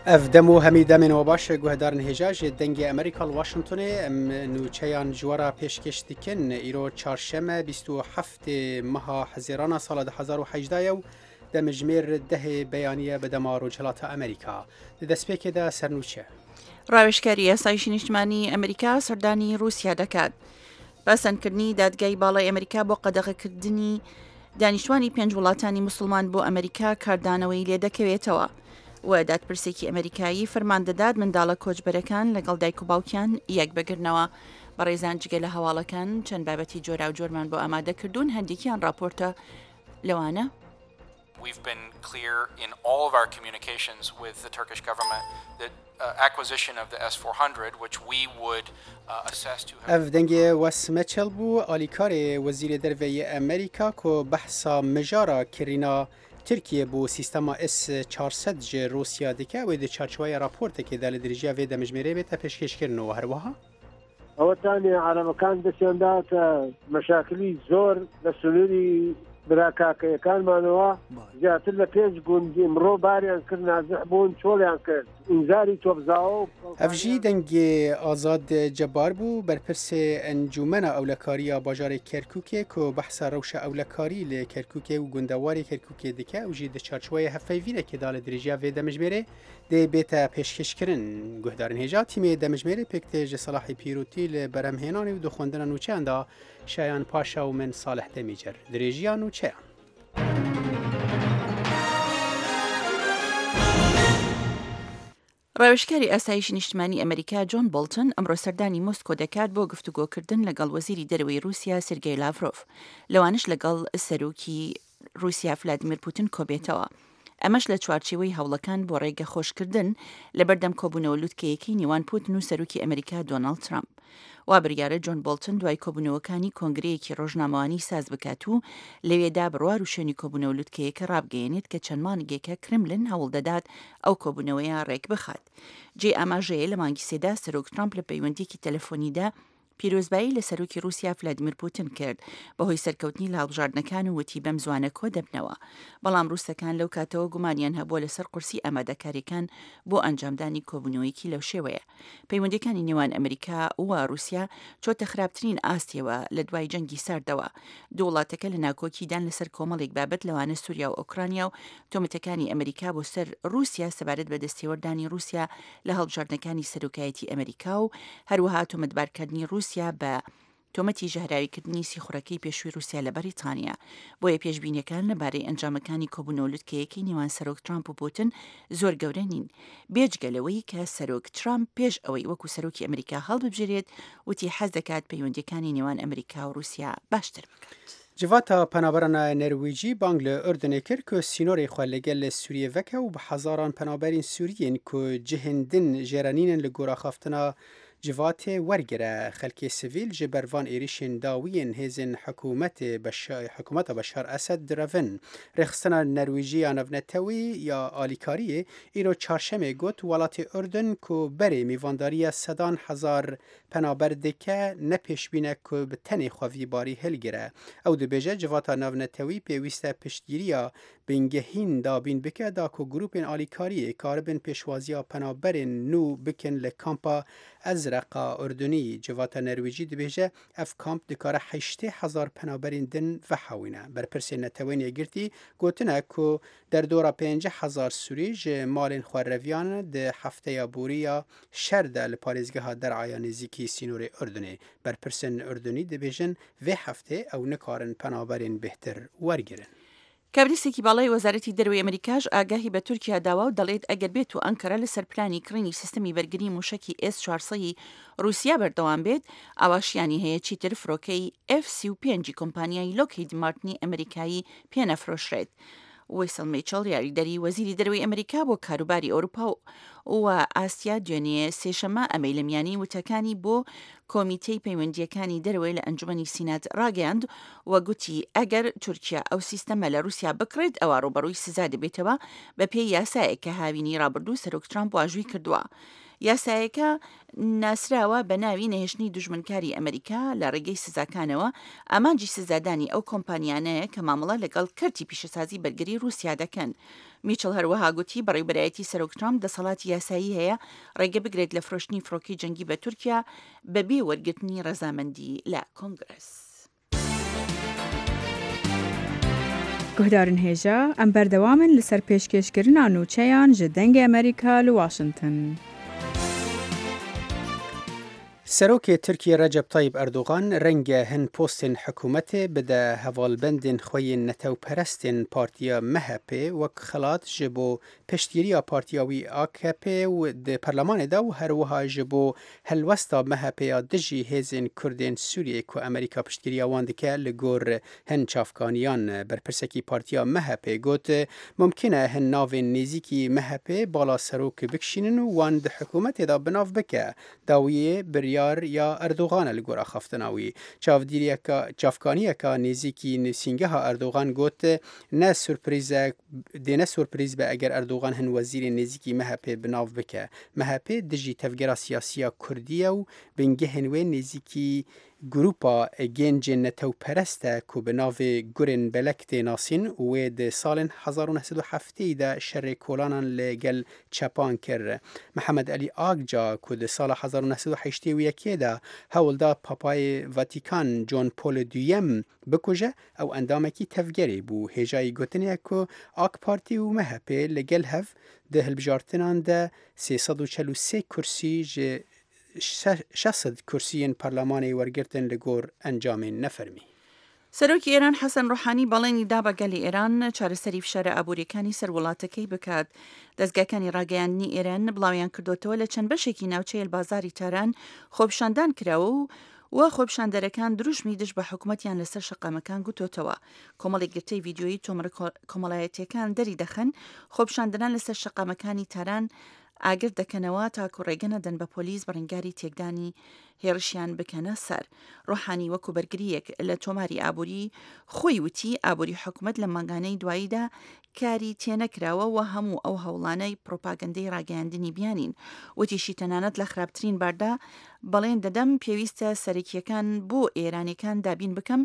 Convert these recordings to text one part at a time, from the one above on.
Ev dem û hemî demên we baş guhdarên hêja ji dengê Amerîka li Washingtonê em nûçeyan ji we re pêşkêş dikin. Îro çarşeme 27 meha Hezêrana sala 2018 ye û demjimêr dehê beyaniye bi dema Rojhilata Amerîka. Di destpêkê de sernûçe. ڕاوێژکاری ئاسایشی نیشتمانی ئەمریکا سەردانی رووسیا دەکات. پەسەندکردنی دادگای باڵای ئەمریکا بۆ قەدەغەکردنی دانیشتوانی پێنج وڵاتانی موسڵمان بۆ ئەمریکا کاردانەوەی لێدەکەوێتەوە و دادپرسێکی ئەمریکایی فەرمان دەدات منداڵە کۆچبەرەکان لەگەڵ دایک و باوکیان یەک بگرنەوە. بەڕێزان جگە لە هەواڵەکان چەند بابەتی جۆراوجۆرمان بۆ ئامادە کردوون هەندێکیان ڕاپۆرتە لەوانە. We've been clear in all of our communications with the Turkish government that acquisition of the S-400 which we would assess to have. Ev dengê Wes Mitchell bû, alîkarê Wezîrê Derve yê Amerîka ku behsa mijara kirîna Tirkiyê bo sîstema S 400 ji Rûsya dike, wê di çarçoweya raportekê de li dirêjiya vê demjimêrê bête pêşkêşkirin û herwiha. ئەوەتانێ عەرەبەکان دەستیان داوەتە مەشاکلی زۆر لە سنووری برا کاکەیەکانمانەوە زیاتر لە پێنج گوند ئمڕۆ باریان کرد نازح بوون چۆڵیان کرد ئینزاری تۆپزاوە و Ev jî dengê Azad Cebar bû, berpirsê Encûmena Ewlekariya bajarê Kerkûkê ku behsa rewşa ewlekarî li Kerkûkê û gundewarê Kerkûkê dike ew jî di çarçoweya hevpeyvînekê de li dirêjiya vê demjimêrê Dê bête pêşkêşkirin. Guhdarên hêja tîmê demjimêrê pêk tê ji Selahê Pîrotî li berhemhênanê û di xwendina nûçeyan de Şayan Paşa û min Salih Demîcer. Dirêjiya nûçeyan. ڕاوێژکاری ئاسایشی نیشتمانی ئەمەریکا جۆن بۆڵتن ئەمڕۆ سەردانی مۆسکۆ دەکات بۆ گفتوگۆکردن لەگەڵ وەزیری دەرەوەی ڕووسیا سێرگێی لاڤرۆڤ لەوانەش لەگەڵ سەرۆکی ڕووسیا فلادیمیر پوتن کۆبێتەوە. ئەمەش لە چوارچێوەی هەوڵەکان بۆ ڕێگە خۆشکردن لەبەردەم کۆبوونەوە لوتکەیەکەی نێوان پوتن و سەرۆکی ئەمریکا دۆناڵد ترامپ. وا بریارە جۆن بۆڵتن دوای کۆبوونەوەکانی کۆنگرەیەکی ڕۆژنامەوانی ساز بکات و لەوێدا بڕوار و شوێنی کۆبوونەوە لوتکەیەکە ڕابگەیەنێت کە چەند مانگێکە کرملن هەوڵدەدات ئەو کۆبوونەوەیە ڕێکبخات. جێی ئاماژەیە لە مانگی سێدا سەرۆک ترامپ لە پەیوەندییەکی تەلەفۆنیدا پیرۆزبایی لە سەرۆکی ڕووسیا فلادیمیر پوتن کرد بەهۆی سەرکەوتنی لە هەڵبژاردنەکان و وتی بەم زوانە کۆدەبنەوە. بەڵام ڕووسەکان لەو کاتەوە گومانیان هەبووە لەسەر قورسی ئامادەکارییەکان بۆ ئەنجامدانی کۆبوونەوەیەکی لەو شێوەیە. پەیوەندییەکانی نێوان ئەمریکا و ڕووسیا چۆتە خراپترین ئاستیەوە لە دوای جەنگی ساردەوە. دوو وڵاتەکە لە ناکۆکیدان لەسەر کۆمەڵێک بابەت لەوانە سوریا و ئۆکرانیا و تۆمەتەکانی ئەمریکا بۆ سەر ڕووسیا سەبارەت بە دەستێوەردانی ڕووسیا لە هەڵبژاردنەکانی سەرۆکایەتی ئەمریکا و هەروەها تۆمەتبارکردنی ڕووسیا بە تۆمەتی ژەهراویکردنی سیخوڕەکەی پێشووی ڕووسیا لە بەریتانیا. بۆیە پێشبینیەکان لەبارەی ئەنجامەکانی کۆبوونەوە لوتکەیەکەی نێوان سەرۆک ترامپ و پوتن زۆر گەورە نین. بێجگە لەوەی کە سەرۆک ترامپ پێش ئەوەی وەکو سەرۆکی ئەمریکا هەڵببژێرێت وتی حەز دەکات پەیوەندیەکانی نێوان ئەمریکا و ڕووسیا باشتر بکات. Civata Penaberan a Nerwîcî bang li Urdunê kir ku sînorê xwe li gel Sûriyê veke û bi hezaran penaberên Sûriyên ku cihên din jê re nînin li gor axaftina civatê wergire. Xelkê sivîl ji ber van êrîşên dawiyên hêzên hikûmetê hikûmeta Beşar Esed direvin. Rêxistina Nerwîcî ya Navnetewî ya Alîkariyê îro Çarşemê got welatê Urdun ku berê mîvandariya sedan hezar Penaber dike ne pêşbîne ku bi tenê xwe vî barî hilgire. Ew dibêje civata navnetewî pêwîst e piştgiriya bingehîn dabîn bike da ku grûpên alîkariyê karibin pêşwaziya penaberên nû bikin li kampa Ezreqa Urdunî. Civata Nerwîcî dibêje ev kamp dikare 80,000 penaberên din vehewîne. Berpirsên Neteweyên Yekgirtî gotine ku derdora 50,000 Sûrî ji malên xwe reviyan di hefteya borî ya Şer de li parêzgeha Der'a ya nêzîkî sînorê Urdunê. Berpirsên Urdunî dibêjin vê heftê ew nikarin penaberên bêhtir wergirin. کابریسێکی باڵای وەزارەتی دەرەوەی ئەمریکاش ئاگاهی بە تورکیا داوە و دەڵێت ئەگەر بێت و ئەنکەرە لەسەر پلانی کڕینی سیستەمی بەرگری موشەکی ئێس 400 ی ڕووسیا بەردەوام بێت ئەوا شیانی هەیە چیتر فرۆکەی ئێف 35 ی کۆمپانیای لۆکهید مارتنی ئەمریکایی پێ نەفرۆشرێت. ویسڵ میچڵ یاریدەری وەزیری دەرەوەی ئەمریکا بۆ کاروباری ئەوروپا و ئاسیا دوێنێ سێشەممە ئەمەی لە میانی وتەکانی بۆ کۆمیتەی پەیوەندییەکانی دەرەوەی لە ئەنجومەنی سینات ڕاگەیاند و گوتی ئەگەر تورکیا ئەو سیستەمە لە رووسیا بکڕێت ئەوا ڕووبەڕووی سزا دەبێتەوە بەپێی یاسایەک کە هاوینی ڕابردوو سەرۆک ترامپ واژووی کردووە. یاسایەکە ناسراوە بە ناوی نەهێشتنی دوژمنکاری ئەمریکا لە ڕێگەی سزاکانەوە، ئامانجی سزادانی ئەو کۆمپانیانەیە کە مامەڵە لەگەڵ کەرتی پیشەسازی بەرگری ڕووسیا دەکەن. میچڵ هەروەها گوتی بەڕێوبەرایەتی سەرۆک ترامپ دەسەڵاتی یاسایی هەیە ڕێگە بگرێت لە فرۆشتنی فڕۆکەی جەنگی بە تورکیا بەبێ وەرگرتنی ڕەزامەندی لە کۆنگرس. Guhdarên hêja, em berdewam in li ser pêşkêşkirina nûçeyan ji Dengê Amerîka li Washington. Serokê Tirkiyê Recep Tayyip Erdogan renge hin postên hikûmetê bide hevalbendên xwe yên netewperestên partiya MHP'ê wek xelat ji bo piştgiriya partiya wî akp û di perlemanê de û herwiha ji bo helwesta MHP'ê ya dijî hêzên Kurdên Sûriyeyê ku Amerîka piştgiriya wan dike li gor hin çavkaniyan berpirsekî partiya MHP'ê got mumkin e hin navên nêzîkî MHP'ê bala serok bikişînin û wan di hikûmetê de binav bike. Dawiyê biryar ya Erdogan e li gor axaftina wî. Çavdîriyeka çavkaniyeka nêzîkî nivîsîngeha Erdogan got ne surprîz e dê ne surprîz be eger Erdogan hin wezîrên nêzîkî MHP'ê bi nav bike. MHP dijî tevgera siyasî ya Kurdî ye û bingehên wê nêzîkî Grûpa Gêncên Netewperest e ku bi navê Gurên Belek tê nasîn û wê di salên 1970 yî de şerê kolanan li gel çepan kir. Mihemed Elî Agca ku di sala 1981 ê de hewl da Papayê Vatîkan John Paul Duyem bikuje, ew endamekî tevgerê bû. Hêjayî gotinê ye ku AK Partî û MHP li gel hev di hilbijartinan de 343 kursî ji 600 kursiyên parlemanê wergirtin li gor encamên nefermî. Serokê Êran Hesen Ruhanî بەڵێنی دا بە گەلی ئێران چارەسەری فشارە ئابوورییەکانی سەر وڵاتەکەی بکات. دەزگاکانی ڕاگەیاندنی ئێران بڵاویان کردۆتەوە لە چەند بەشێکی ناوچەی البازاری تاران خۆپیشاندان کراوە و و خۆپیشاندەرەکان دروشمی دژ بە حکومەتیان لەسەر شەقامەکان گوتۆتەوە. کۆمەڵێک گرتەی ڤیدیۆیی تۆمەرە کۆمەڵایەتییەکان دەریدەخەن خۆپیشاندەران لەسەر شەقامەکانی تاران ئاگر دەکەنەوە تاکو ڕێگە نەدەن بە پۆلیس بەڕنگاری تێکدانی هێڕشیان بکەنە سەر. ڕۆحانی وەکو بەرگرییەک لە تۆماری ئابووری خۆی وتی، ئابووری حکومەت لەم مانگانەی دواییدا کاری تێنەکراوە و هەموو ئەو هەوڵانەی پڕوپاگەندەی ڕاگەیاندنی بیانین. وتیشی تەنانەت لە خراپترین باردا بەڵێن دەدەم پێویستە سەرەکییەکان بۆ ئێرانیەکان دابین بکەم،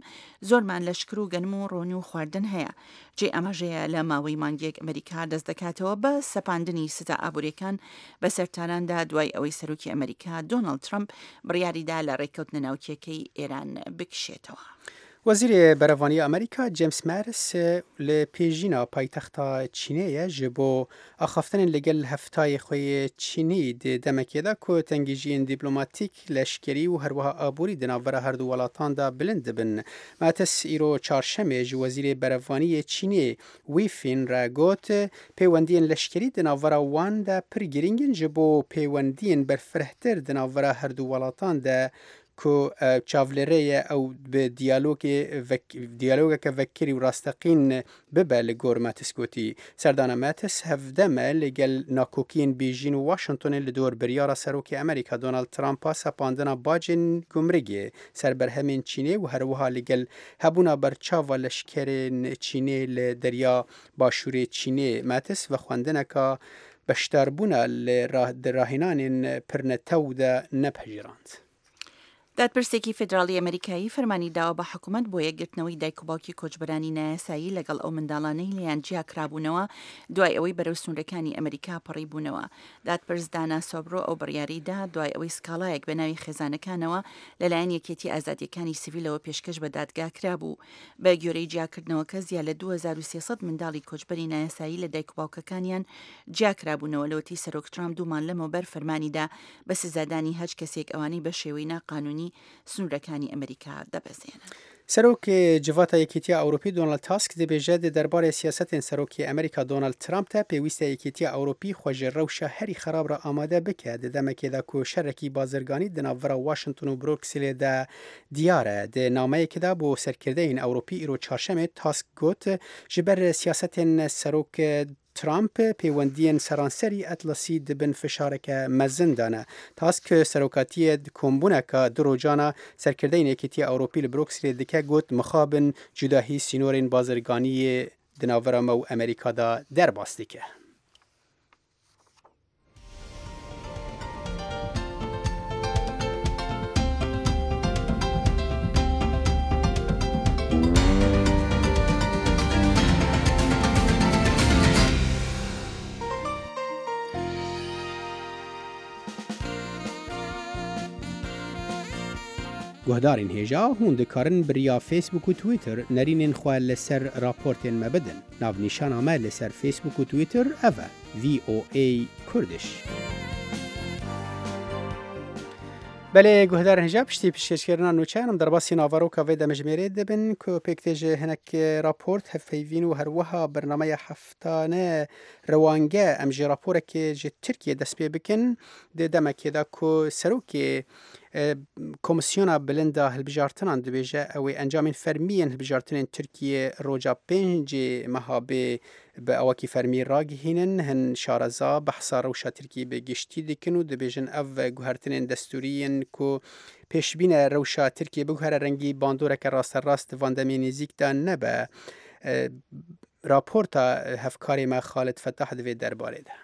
زۆرمان لە شەکر و گەنم و ڕۆن و خواردن هەیە. جێی ئاماژەیە لە ماوەی مانگێک ئەمریکا دەست دەکاتەوە بە سەپاندنی سزا ئابووریەکان بەسەر تاراندا دوای ئەوەی سەرۆکی ئەمریکا دۆناڵد ترەمپ بڕیاریدا لە ڕێککەوتنە ناوکیەکەی ئێران بکشێتەوە. وەزیرê Berevaniya Amerîka James Mattis li Pêjîna paytexta Çînê ye ji bo axaftinên li gel hevtayê xwe yê Çînî di demekê de ku tengijiyên dîplomatîk, leşkerî û herwiha aborî di navbera her du welatan de bilind dibin. Mattis îro çarşemê ji Wezîrê Berevanî yê Çînê Wei Fien re got, Pêwendiyên leşkerî di navbera wan de pir girîng in ji bo pêwendiyên berfirehtir di navbera her du welatan de ku çavlêrê ye ew bi diyalogê diyalogeke vekirî û rasteqîn bibe li gor Mattis gotî. Serdana Mattis hevdem e li gel nakokiyên Bêjîn û Washingtonê li dor biryara Serokê Amerîka Donald Trump a sepandina bacên gumrigê ser berhemên Çînê û herwiha li gel hebûna berçava leşkerên Çînê li derya başûrê Çînê Mattis vexwendineka beşdarbûna li di rahênanên pirnetew de nepejirand. دادپرسێکی فیدراڵی ئەمەریکایی فەرمانی داوە بە حکومەت بۆ یەکگرتنەوەی دایک و باوکی کۆچبەرانی نایاسایی لەگەڵ ئەو منداڵانەی لێیان جیاکرابوونەوە دوای ئەوەی بەرەو سنوورەکانی ئەمەریکا پەڕیبوونەوە. دادپرس دانا سۆبرۆ ئەو بڕیارەی دا دوای ئەوەی سکاڵایەک بە ناوی خێزانەکانەوە لەلایەن یەکێتی ئازادییەکانی سیڤیلەوە پێشکەش بە دادگا کرابوو. بە گوێرەی جیاکردنەوەکە زیاد لە 2300 منداڵی کۆچبەری نایاسایی لە دایک و باوکەکانیان جیاکرابوونەوە لەوەتەی سەرۆک ترامپ دوو مانگ لەمەوبەر فەرمانی دا بە سزادانی هەچ کەسێک ئەوانەی بە شێوەی ناقانوونی سنوورەکانی ئەمریکا دەبەزێنن. Serokê Civata Yekîtiya Ewropî Donald Tusk dibêje di derbarê siyasetên Serokê Amerîka Donald Trump de pêwîste Yekîtiya Ewropî xwe ji rewşa herî xerab re amade bike di demekê de ku şerekî bazirganî di navbera Washington û Brukselê de diyar e. Di nameyekê de bo serkirdeyên Ewropî îro Çarşemê Tusk got ji ber siyasetên Serok Trump, pêwendiyên seranserî Atlasî di bin fişareke mezin de ne. Tusk serokatiyê di kombûneke du rojan a serkirdeyên Yekîtiya Ewropî li Brukselê dike got, Mixabin cudahî sînorên bazirganiyê di navbera me û Amerîka de derbas dike. Guhdarên hêja hûn dikarin bi riya Facebook û Twitter nerînên xwe li ser raportên me bidin. Navnîşana me li ser Facebook û Twitter ev e, VOA Kurdish. Belê guhdarên hêja piştî pişkêşkirina nûçeyan em derbasî naveroka vê demjimêrê dibin ku pêk tê ji hinek raport, hevpeyvîn û herwiha bernameya heftane rewange em ji raporekê ji Tirkiyê dest pê bikin di demekê de ku serokê Komîsyona Bilind a Hilbijartinan dibêje ew ê encamên fermî yên hilbijartinên Tirkiyê roja pêncê meha bê bi awakî fermî ragihînin. Hin şareza behsa rewşa Tirkiyê bi giştî dikin û dibêjin ev guhertinên destûrî yên ku pêşbîne rewşa Tirkiyê biguhere rengî bandoreke rasterast di van demê nêzîk de nebe. Raporta hevkarê me Xalid Fetah di vê derbarê de.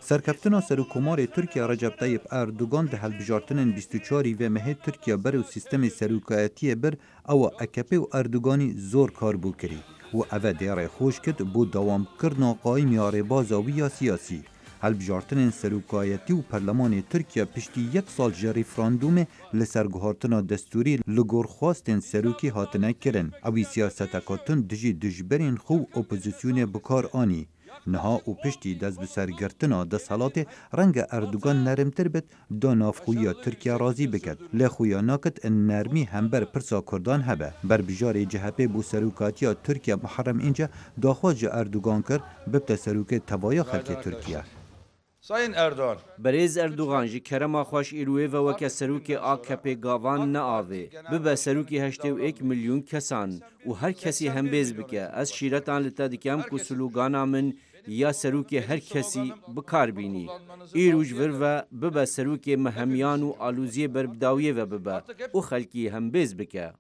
Serkeftina Serokkomarê Tirkiye Recep Tayyip Erdogan di hilbijartinên 24 î vê mehê Tirkiye ber û sîstemê serokayetiyê bir ewa AKP û Erdoganî zor kar bû kirî û eve dê rê xweş kir bo dewamkirina qayîm ya rêbaza wî ya siyasî. Hilbijartinên serokayetî û perlemanê Tirkiye piştî yek sal ji referandûmê li ser guhartina destûrî li gor xwestên serokî hatine kirin. Ewî siyaseteka tund dijî dijberên xwe û opozisyonê bi kar anî. Niha û piştî destbisergirtina desthilatê renge Erdogan nermtir bit da navxweyiya Tirkiye razî biket. Lê xuya naket nermî hember pirsa Kurdan hebe. Berbijarê CHP bo serokatiya Tirkiye Muharrem Înce daxwaz ji Erdogan kir bibte serokê tevaya xelkê Tirkiye. Sayın Erdoğan. Berêz Erdogan ji kerema xweş îro wê ve weke serokê AKP gavan neavê. Bibe serokê 81 milyon kesan û her kesî hembêz bike. Ez şîretan li te dikem ku slogana min ya serokê her kesî bikar bînî. Îro ji vir ve bibe serokê me hemiyan û aloziyê ber bi dawiyê ve bibe û xelkî hembêz bike.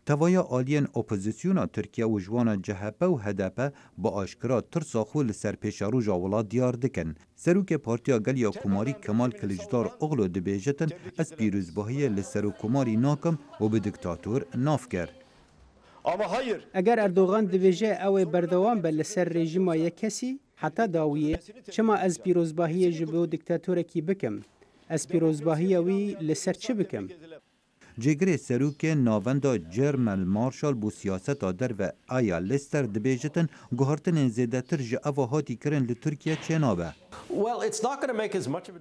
Tevaya aliyên opozisyona Tirkiye û ji wana CHP û HDP bi aşkira tirsa xwe li ser pêşeroja welat diyar dikin. Serokê Partiya Gel ya Komarî Kemal Kiliçdaroglu dibêjitin ez pîrozbahiyê li Serokkomarî nakim û bi diktator nav kir. Ama hayır. Eger Erdogan dibêje ew ê berdewam be li ser rejîma yek kesî heta dawiyê, çima ez pîrozbahiyê ji bo diktatorekî bikim? Ez pîrozbahiya wî li ser çi bikim? Cêgirê Serokê Navenda German Marshall bo siyaseta derve Aya Lester dibêjitin guhertinên zêdetir ji eva hatî kirin li Tirkiye çênabe.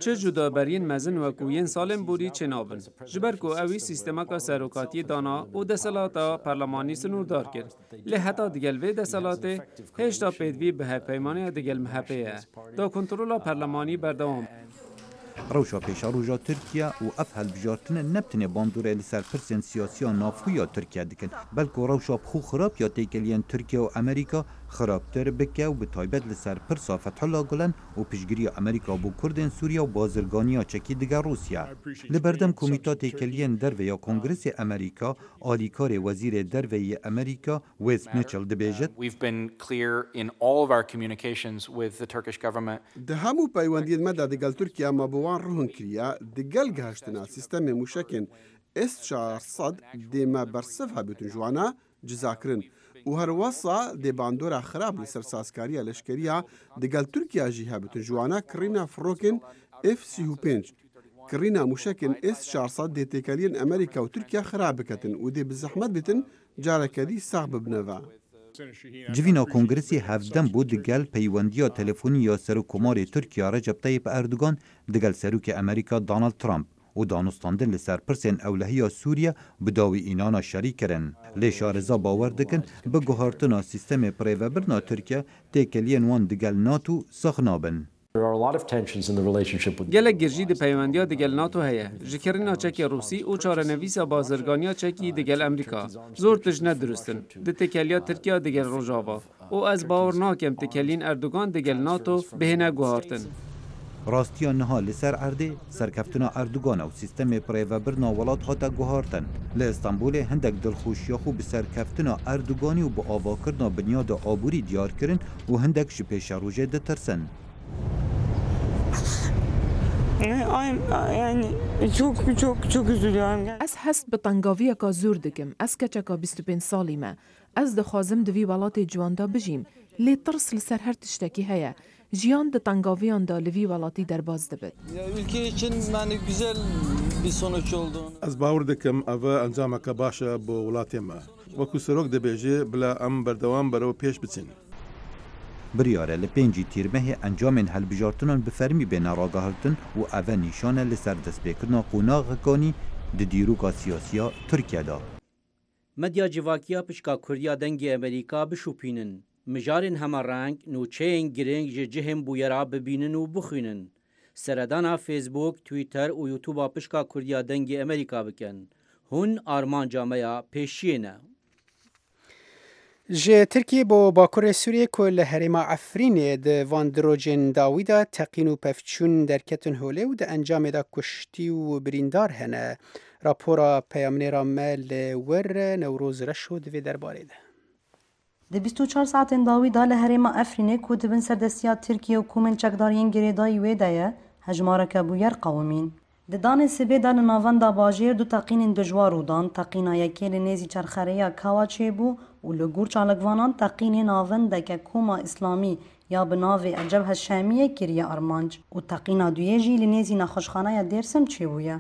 Çi cudaberiyên mezin wekû yên salên borî çênabin. Ji ber ku ewî sîstemeka serokatiyê dana û desthilata perlemanî sinûrdar kir. Lê heta digel vê desthilatê hêjta pêdivî bi hevpeymaniya digel MHP ye. Da kontrola perlemanî berdewam. Rewşa pêşeroja Tirkiye û ev hilbijartinên ne bi tenê bandorê li ser pirsên siyasiya navxwe ya Tirkiye dikin, belku rewşa bi xwe xirab ya têkiliyên Tirkiye û Amerîka xirabtir bike û bi taybet li ser pirsa Fethullah Gulen û piştgiriya Amerîka bo Kurdên Sûriye û bazirganiya çekî dige Rûsya. Li berdem Komîta Têkiliyên Derve ya Kongresê Amerîka, alîkarê Wezîrê Derve yê Amerîka Wes Mitchell dibêjit. We've been clear in all of our communications with the Turkish government. Di hemû peywendiyên me de digel Tirkiye me bi wan rûhn kiriye, digel gihiştina sîstemê mûşekên S 400 dê me bersiv hebûtin ji wan cizakirin û her wesa dê bandora xirab li ser sazkariya leşkeriya digel Tirkiye jî hebûtin ji wan kirîna firokên F 35. Kirîna mûşekên S 400 dê têkeliyên Amerîka û Tirkiye xirab biketin û dê bi zehmet bitin careke dî sax bibine ve. Civîna Kongresê hevdem bû digel peywendiya telefonî ya Serokkomarê Tirkiye Recep Tayyip Erdogan digel Serokê Amerîka Donald Trump û danûstandin li ser pirsên ewlehiya Sûriye bi dawî înana şerî kirin. Lê şareza bawer dikin bi guhartina sîstemê birêvebirina Tirkiye têkeliyên wan digel NATO sax nabin. Gelek girjî di peywendiya digel NATO heye. Ji kirîna çekê Rûsî û çarenivîsa bazirganiya çekî digel Amerîka. Zor tişt ne dirustin. Di têkeliya Tirkiye digel Rojava. Û ez bawer nakim têkeliyên Erdogan digel NATO bihêne guhartin. Rastiya niha li ser erdê serkeftina Erdogan û sîstemê birêvebirina welat hate guhartin. Li Îstanbulê hindek dilxweşiya xwe bi serkeftina Erdoganî û bi avakirina binyada aborî diyar kirin û hindek ji pêşerojê ditirsin. Yani çok çok çok üzülüyorum. Ez hest bi tengaviyeka zor dikim. Ez keçeka 25 salî me. Ez dixwazim di vî welatê ciwan de bijîm. Lê tirs li ser her tiştekî heye. Jiyan di tengaviyan de li vî welatî derbas dibit. Ez bawer dikim ev encameke baş e bo welatê me. Wekû serok dibêje bila em berdewam berew pêş biçin. Biryar e li pêncî Tîrmehê encamên hilbijartinan bi fermî bêne ragihirtin û eve nîşan e li ser destpêkirina qonaxekanî di dîroka siyasî ya Tirkiye de. Medya civakî ya pişka Kurdî ya Dengê Amerîka bişopînin. Mijarên hemereng, nûçeyên giring ji cihên bûyera bibînin û bixwînin. Seredana Facebook, Twitter û YouTube'a pişka Kurdî ya Dengê Amerîka bikin. Hûn armanca me ya pêşiyê ne. Ji Tirkiyê bo Bakurê Sûriyê ku li herêma Efrînê di van du rojên dawî de teqîn û pevçûn derketin holê û di encamê de kuştî û birîndar hene. Rapora peyamnêra me li wir Newroz Reşo di vê derbarê de. Di 24 saetên dawî de li herêma Efrînê ku di bin serdestiya Tirkiye û komên çekdar yên girêdayî wê de ye, hejmareke bûyer qewimîn. Di danê sibê de li navenda bajêr du teqînên dijwar rû dan, teqîna yekê li nêzî çerxerêya Kawa çêbû û li gor çalakvanan teqînê navendeke koma îslamî ya bi navê El Cebhe Şamiyê kiriye armanc û teqîna duyê jî li nêzî nexweşxaneya Dêrsim çêbûye.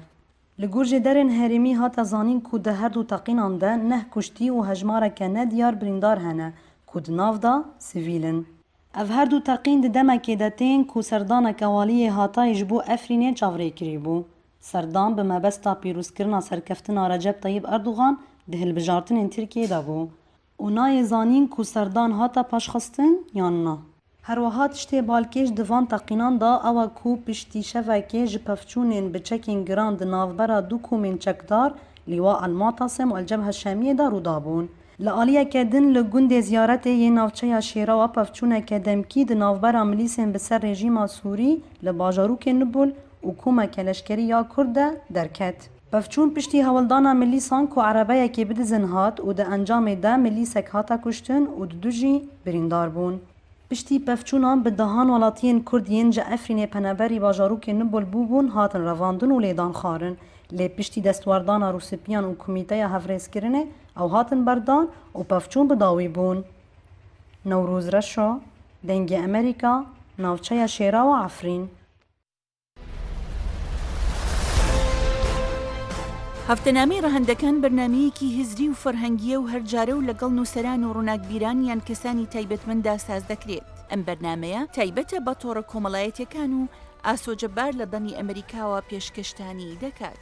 Li gor jêderên herêmî hate zanîn ku di her du teqînan de neh kuştî û hejmareke nediyar birîndar hene ku di nav de sivîl in. Ev her du teqîn di demekê de tên ku serdaneke waliyê Hatayê ji bo Efrînê çavrêkirî bû. Serdan bi mebesta pîrozkirina serkeftina Recep Tayyîp Erdogan di hilbijartinên Tirkiyê de bû û nayê zanîn ku serdan hate paşxistin yan na. Herwiha tiştê balkêş di van teqînan de ew e ku piştî şevekê ji pevçûnên bi çekên giran di navbera du komên çekdar Lîwa El Mu'tasim û El Cebhe Şamiyê de rû dabûn. Li aliyeke din li gundê Ziyaretê yê navçeya Şêrawa pevçûneke demkî di navbera milîsên bi ser rejîma Sûrî li bajarokê Nubul û komeke leşkerî ya Kurd de derket. Pevçûn piştî hewldana milîsan ku erebeyekê bidizin hat û di encamê de milîsek hate kuştin û di du jî birîndar bûn. Piştî pevçûnan bi dehan welatiyên Kurd yên ji Efrînê peneberî bajarokê Nubul bûbûn hatin revandin û lêdan xwarin. Lê piştî destwerdana Rûsipiyan û Komîteya Hevrêzkirinê ew hatin berdan û pevçûn bi dawî bûn. Newroz Reşo, Dengê Amerîka, Navçeya Şêrawa Efrîn. هەفتەنامەی ڕەهەندەکان بەرنامەیەکی هزری و فەرهەنگییە و هەر جارە و لەگەڵ نووسەران و ڕووناکبیران یان کەسانی تایبەتمەنددا ساز دەکرێت. ئەم بەرنامەیە تایبەتە بە تۆڕە کۆمەڵایەتیەکان و ئاسۆ جەبار لە دەنگی ئەمەریکاوە پێشکەشتانی دەکات.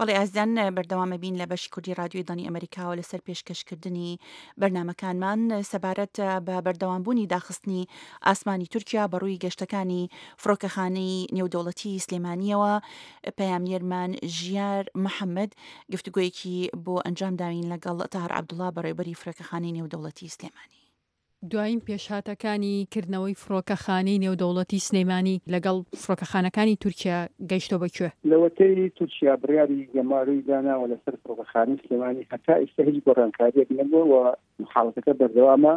بەڵێ ئازیزان بەردەوامە بین لە بەشی کوردی رادیۆی دەنگی ئەمەریکاوە لەسەر پێشکەشکردنی بەرنمەکانمان سەبارەت بە بەردەوامبوونی داخستنی ئاسمانی تورکیا بەڕووی گەشتەکانی فڕۆکەخانەی نێودەوڵەتی سلێمانیەوە پەیامنێرمان ژیار محەممەد گفتوگۆیەکی بۆ ئەنجام داوین لەگەڵ تاهر عەبدوڵا بەڕێوبەری فرۆکەخانەی نێودەوڵەتی سلێمانی. دوایین پێشهاتەکانی کردنەوەی فڕۆکەخانەی نێودەوڵەتی سلێمانی لەگەڵ فڕۆکەخانەکانی تورکیا گەیشتووە بە کوێ؟ لەوەتەی تورکیا بڕیاری گەمارۆی داناوە لەسەر فڕۆکەخانەی سلێمانی هەتا ئیستا هیچ گۆڕانکارییەک نەبووە و حاڵەتەکە بەردەوامە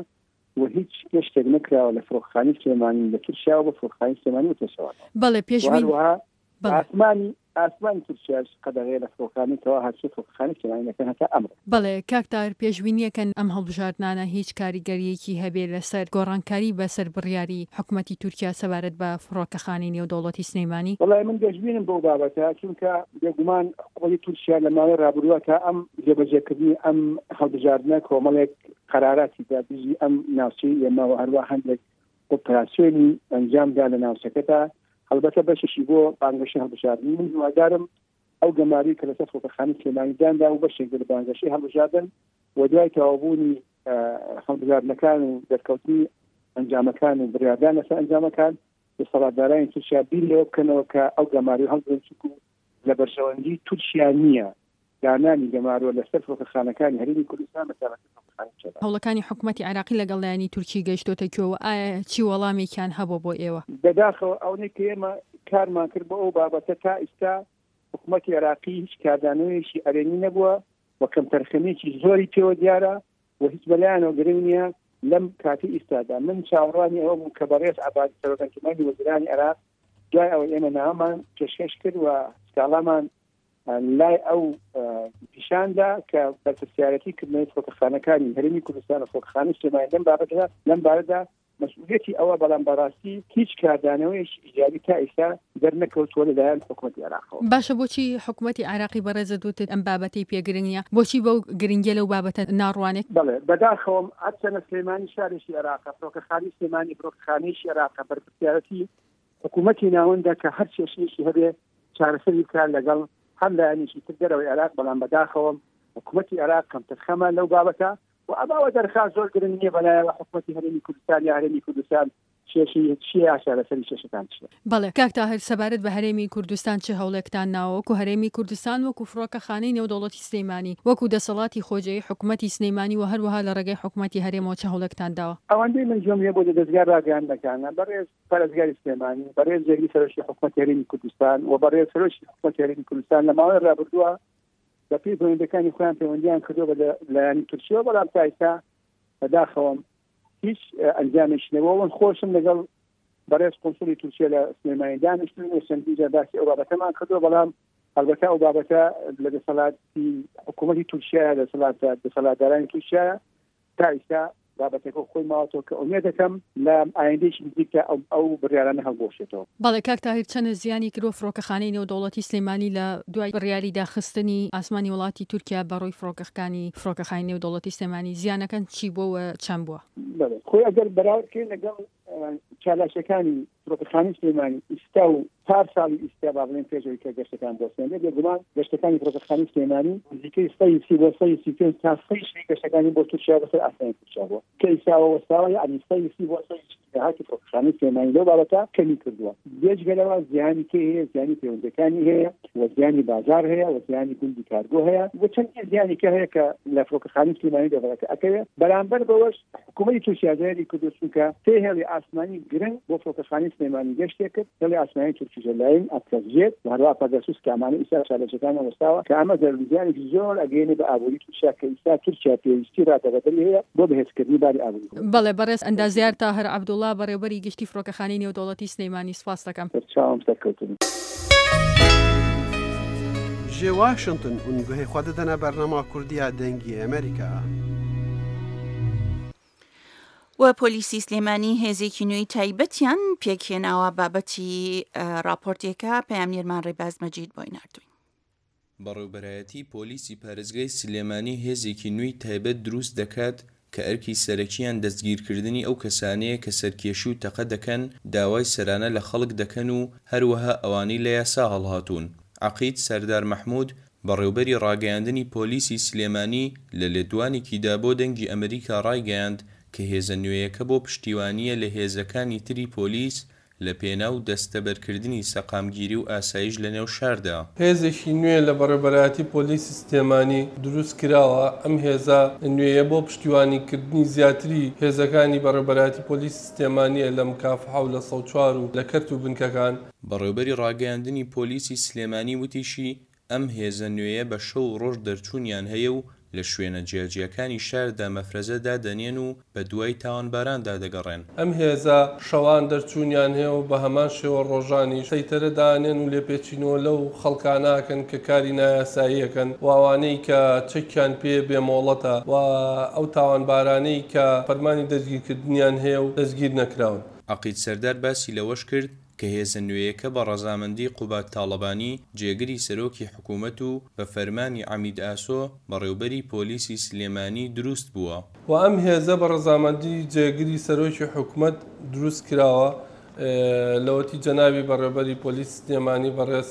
و هیچ گەشتێک نەکراوە لە فڕۆکەخانەی سلێمانی لە تورکیاوە بۆ فڕۆکەخانەی سلێمانی و پێچەوانەوە. بەڵێ پێشبین هەروەها ئاسمانی ئاسمانی تورکیاش قەدەغەیە لە فڕۆکەخانەی کەوا هاتوچۆی فڕۆکەخانەی سلێمانی دەکەن هەتا ئەمڕۆ. بەڵێ کاک تاهر پێشبینیەکەن ئەم هەڵبژاردنانە هیچ کاریگەریەکی هەبێ لەسەر گۆڕانکاری بەسەر بڕیاری حکومەتی تورکیا سەبارەت بە فڕۆکەخانەی نێودەوڵەتی سلێمانی؟ وەڵای من گەشبینم بەو بابەتە چونکە بێگومان حکومەتی تورکیا لە ماوەی ڕابردووە تا ئەم جێبەجێکردنی ئەم هەڵبژاردنە کۆمەڵێک قەراراتی دا دژی ئەم ناوچەی ئێمە و هەروە هەندێک ئۆپراسیۆنی ئەنجامدا لە ناوچەکەدا هەڵبەتە بەشێکی بۆ بانگەشەی هەڵبژاردن من هیوادارم ئەو گەماروی کە لەسەر فڕۆکەخانەی سلێمانی دانرا و بەشێک بێت لە بانگەشەی هەڵبژاردن و دوای تەواوبوونی هەڵبژاردنەکان و دەرکەوتنی ئەنجامەکان و بڕیاردان لەسەر ئەنجامەکان دەسەڵاتدارانی تورکیا بیر لەوە بکەنەوە کە ئەو گەماروی هەڵبگرن چونکو لە بەرژەوەندی تورکیا نییە دانانی گەمارۆ لەسەر فڕۆکەخانەکانی هەرێمی کوردستان بە تایبەتی فڕۆکەخانەی چۆمان. هەوڵەکانی حکومەتی عێراقی لەگەڵ لایەنی تورکی گەیشتۆتە کوێ و ئایا چی وەڵامێکیان هەبووە بۆ ئێوە؟ بەداخەوە ئەونەی کە ئێمە کارمان کرد بۆ ئەو بابەتە تا ئیستا حکومەتی عێراقی هیچ کاردانەوەیەکی ئەرێنی نەبووە و کەمتەرخەمییەکی زۆری پێوە دیارە و هیچ بەلایانەوە گرنگ نییە لەم کاتی ئیستادا من چاوەڕوانی ئەوە بووم کە بەڕێز عەبادی سەرۆک ئەنجومەنی وەزیرانی عێراق دوای ئەوەی ئێمە نامەمان پێشکەش کرد و سکاڵامان. لای ئەو پیشاندا کە بەرپرسیارەتی کردنەوەی فڕۆکەخانەکانی هەرێمی کوردستان و فڕۆکەخانەی سلێمانی لەم بابەتەدا لەم بارەدا مەسئولیەتی ئەوە، بەڵام بەڕاستی هیچ کاردانەوەیەکی ئیجابی تا ئیستا دەرنەکەوتووە لەلایەن حکومەتی عێراقەوە. باشە بۆچی حکومەتی عێراقی بەڕێزت وتت ئەم بابەتەی پێ گرنگ نیە؟ بۆچی بەو گرنگیە لەو بابەتە ناڕوانێت؟ بەڵێ بەداخەوەم هەرچەنە سلێمانی شارێکی عێراقە، فڕۆکەخانەی سلێمانی فڕۆکەخانەیەکی عێراقە، بەرپرسیارەتی حکومەتی ناوەندە کە هەر کێشەیەکی هەبێ چارەسەری بکات لەگەڵ هەر لایەنێکی تر دەرەوەی عێراق، بەڵام بەداخەوەم حکومەتی عێراق کەمتەرخەمە لەو بابەتە و ئەم ئەوە دەرخا زۆر گرنگ نییە بەلایەوە حکومەتی هەرێمی کوردستان یا هەرێمی کوردستان کێشەی چییە یا چارەسەری کێشەکان چییە. بەڵێ کاک تاهر سەبارەت بە هەرێمی کوردستان چ هەوڵێکتان ناوە وەکو هەرێمی کوردستان وەکو فڕۆکەخانەی نێودەوڵەتی سلێمانی وەکو دەسەڵاتی خۆجێی حکومەتی سلێمانی و هەروەها لە ڕێگەی حکومەتی هەرێمەوە چ هەوڵێکتان داوە؟ ئەوەندەی من گوێم لێ بوو لە دەزگا ڕاگەیاندنەکانە بەڕێز پارێزگاری سلێمانی، بەڕێز جێگری سەرۆکی حکومەتی هەرێمی کوردستان و بەڕێز سەرۆکی حکومەتی هەرێمی کوردستان لە ماوەی ڕابردووە بە پێی پەیوەندەکانی خۆیان پەیوەندیان کردووە بە لایەنی تورکیەوە بەڵام تا ئیستا بەداخەوەم هیچ ئەنجامێکی نەبووە من خۆشم لەگەڵ بەڕێز قونسوڵی تورکیە لە سلێمانی دانیشتن و چەندین جار باسی ئەو بابەتەمان کردووە بەڵام ئەلبەتە ئەو بابەتە لە دەسەڵاتی حکوومەتی تورکیا دەسەڵات دەسەڵاتدارانی تورکیا تا ئیستا بابەتەکە خۆی ماوەتەوە کە ئومێد دەکەم لە ئایندەیەکی نزیکدا ئەو ئەو بڕیارانە هەڵبوەشێتەوە. بەڵێ کاک تاهیر چەنە زیانی کردوە فڕۆکەخانەی نێودەوڵەتی سلێمانی لە دوای بڕیاری داخستنی ئاسمانی وڵاتی تورکیا بە ڕووی فڕۆکەخکانی فڕۆکەخانی نێودەوڵەتی سلێمانی زیانەکەن چی بوە و چەند بوە؟ بەڵێ خۆی ئەگەر بەراورد کەین لەگەڵ چالاکیەکانی فڕۆکەخانەی سلێمانی ئیستا و پار ساڵی ئیستا با بڵێن پێش ئەوەی کە گەشتەکان بوەستێنرێت بێگومان گەشتەکانی فڕۆکەخانەی سلێمانی نزیکەی 130 بۆ 135 تا 140 گەشتەکانی بۆ تورکیا بەسەر ئاسمانی تورکیا بووە کە ئیستاوە وەستاوە یعنی 130 بۆ 140 داهاتی فڕۆکەخانەی سلێمانی لەو بابەتە کەمی کردووە بێجگە لەوە زیانی کێ هەیە زیانی پەیوەندەکانی هەیە و زیانی بازار هەیە و زیانی گوندی کارگۆ هەیە و چەندین زیانی کە هەیە کە لە فڕۆکەخانەی سلێمانی دەڤەرەکە ئەکەوێ بەرامبەر بەوەش حکوومەتی تورکیا زەرەری کردووە چونکە سێ هێڵی ئاسمانی گرنگ بۆ فڕۆکەخانەی سلێمانی گەشتێ کرد، هێڵی ئاسمانی تورکیش لاین، ئەتلەس جێت و هەروەها پەگەسوس کە ئەمانە ئیستا چالاکیەکانیان وەستاوە کە ئەمە زەرەر و زیانێکی زۆر ئەگەیەنێ بە ئابووری تورکیا کە ئیستا تورکیا پێویستی ڕادەبەدەری هەیە بۆ بەهێزکردنی باری ئابووری خۆی. بەڵێ بەڕێز ئەندازیار تاهر عەبدوڵا بەڕێوبەری گشتی فڕۆکەخانەی نێودەوڵەتی سلێمانی سوپاست دەکەم. سەرچاوم سەرکەوتوبن. Ji Washington hûn guhê xwe didine bernama Kurdî ya Dengê Amerîka. و پۆلیسی سلێمانی هێزێکی نوێی تایبەتیان پێکهێناوە بابەتی ڕاپۆرتێکە پەیامنێرمان ڕێباز مەجید بۆی ناردووین. بەڕێوبەرایەتی پۆلیسی پارێزگای سلێمانی هێزێکی نوێی تایبەت دروست دەکات کە ئەرکی سەرەکییان دەستگیرکردنی ئەو کەسانەیە کە سەرکێشی و تەقە دەکەن، داوای سەرانە لە خەڵک دەکەن و هەروەها ئەوانەی لە یاسا هەڵهاتوون. عەقید سەردار مەحمود، بەڕێوبەری ڕاگەیاندنی پۆلیسی سلێمانی لە لێدوانێکیدا بۆ دەنگی ئەمریکا ڕایگەیاند کە هێزە نوێیەکە بۆ پشتیوانییە لە هێزەکانی تری پۆلیس لە پێناو دەستەبەرکردنی سەقامگیری و ئاسایش لە نێو شاردا. هێزێکی نوێ لە بەڕێوبەرایەتی پۆلیسی سلێمانی دروست کراوە، ئەم هێزە نوێیە بۆ پشتیوانیکردنی زیاتری هێزەکانی بەڕێوبەرایەتی پۆلیسی سلێمانییە لە مکافحە و لە 104 و لە کەرت و بنکەکان. بەڕێوبەری ڕاگەیاندنی پۆلیسی سلێمانی وتیشی، ئەم هێزە نوێیە بە شەو و ڕۆژ دەرچوونیان هەیە و لە شوێنە جیاجیاکانی شاردا مەفرەزە دادەنێن و بە دوای تاوانباراندا دەگەڕێن. ئەم هێزە شەوان دەرچوونیان هەیە و بە هەمان شێوە ڕۆژانیش سەیتەرە دانێن و لێپێچینەوە لەو خەڵکانە ئەکەن کە کاری نایاسایی ئەکەن و ئەوانەی کە چەکیان پێ بێ مۆڵەتە و ئەو تاوانبارانەی کە فەرمانی دەستگیرکردنیان هەیە و دەستگیر نەکراون. عەقید سەردار باسی لەوەش کرد، کە هێزە نوێیەکە بە ڕەزامەندی قوباد تاڵەبانی، جێگری سەرۆکی حکوومەت و بە فەرمانی عەمید ئاسۆ، بەڕێوبەری پۆلیسی سلێمانی دروست بووە. و ئەم هێزە بە ڕەزامەندی جێگری سەرۆکی حکومەت دروست کراوە، لەوەتی جەنابی بەڕێوبەری پۆلیسی سلێمانی بەڕێز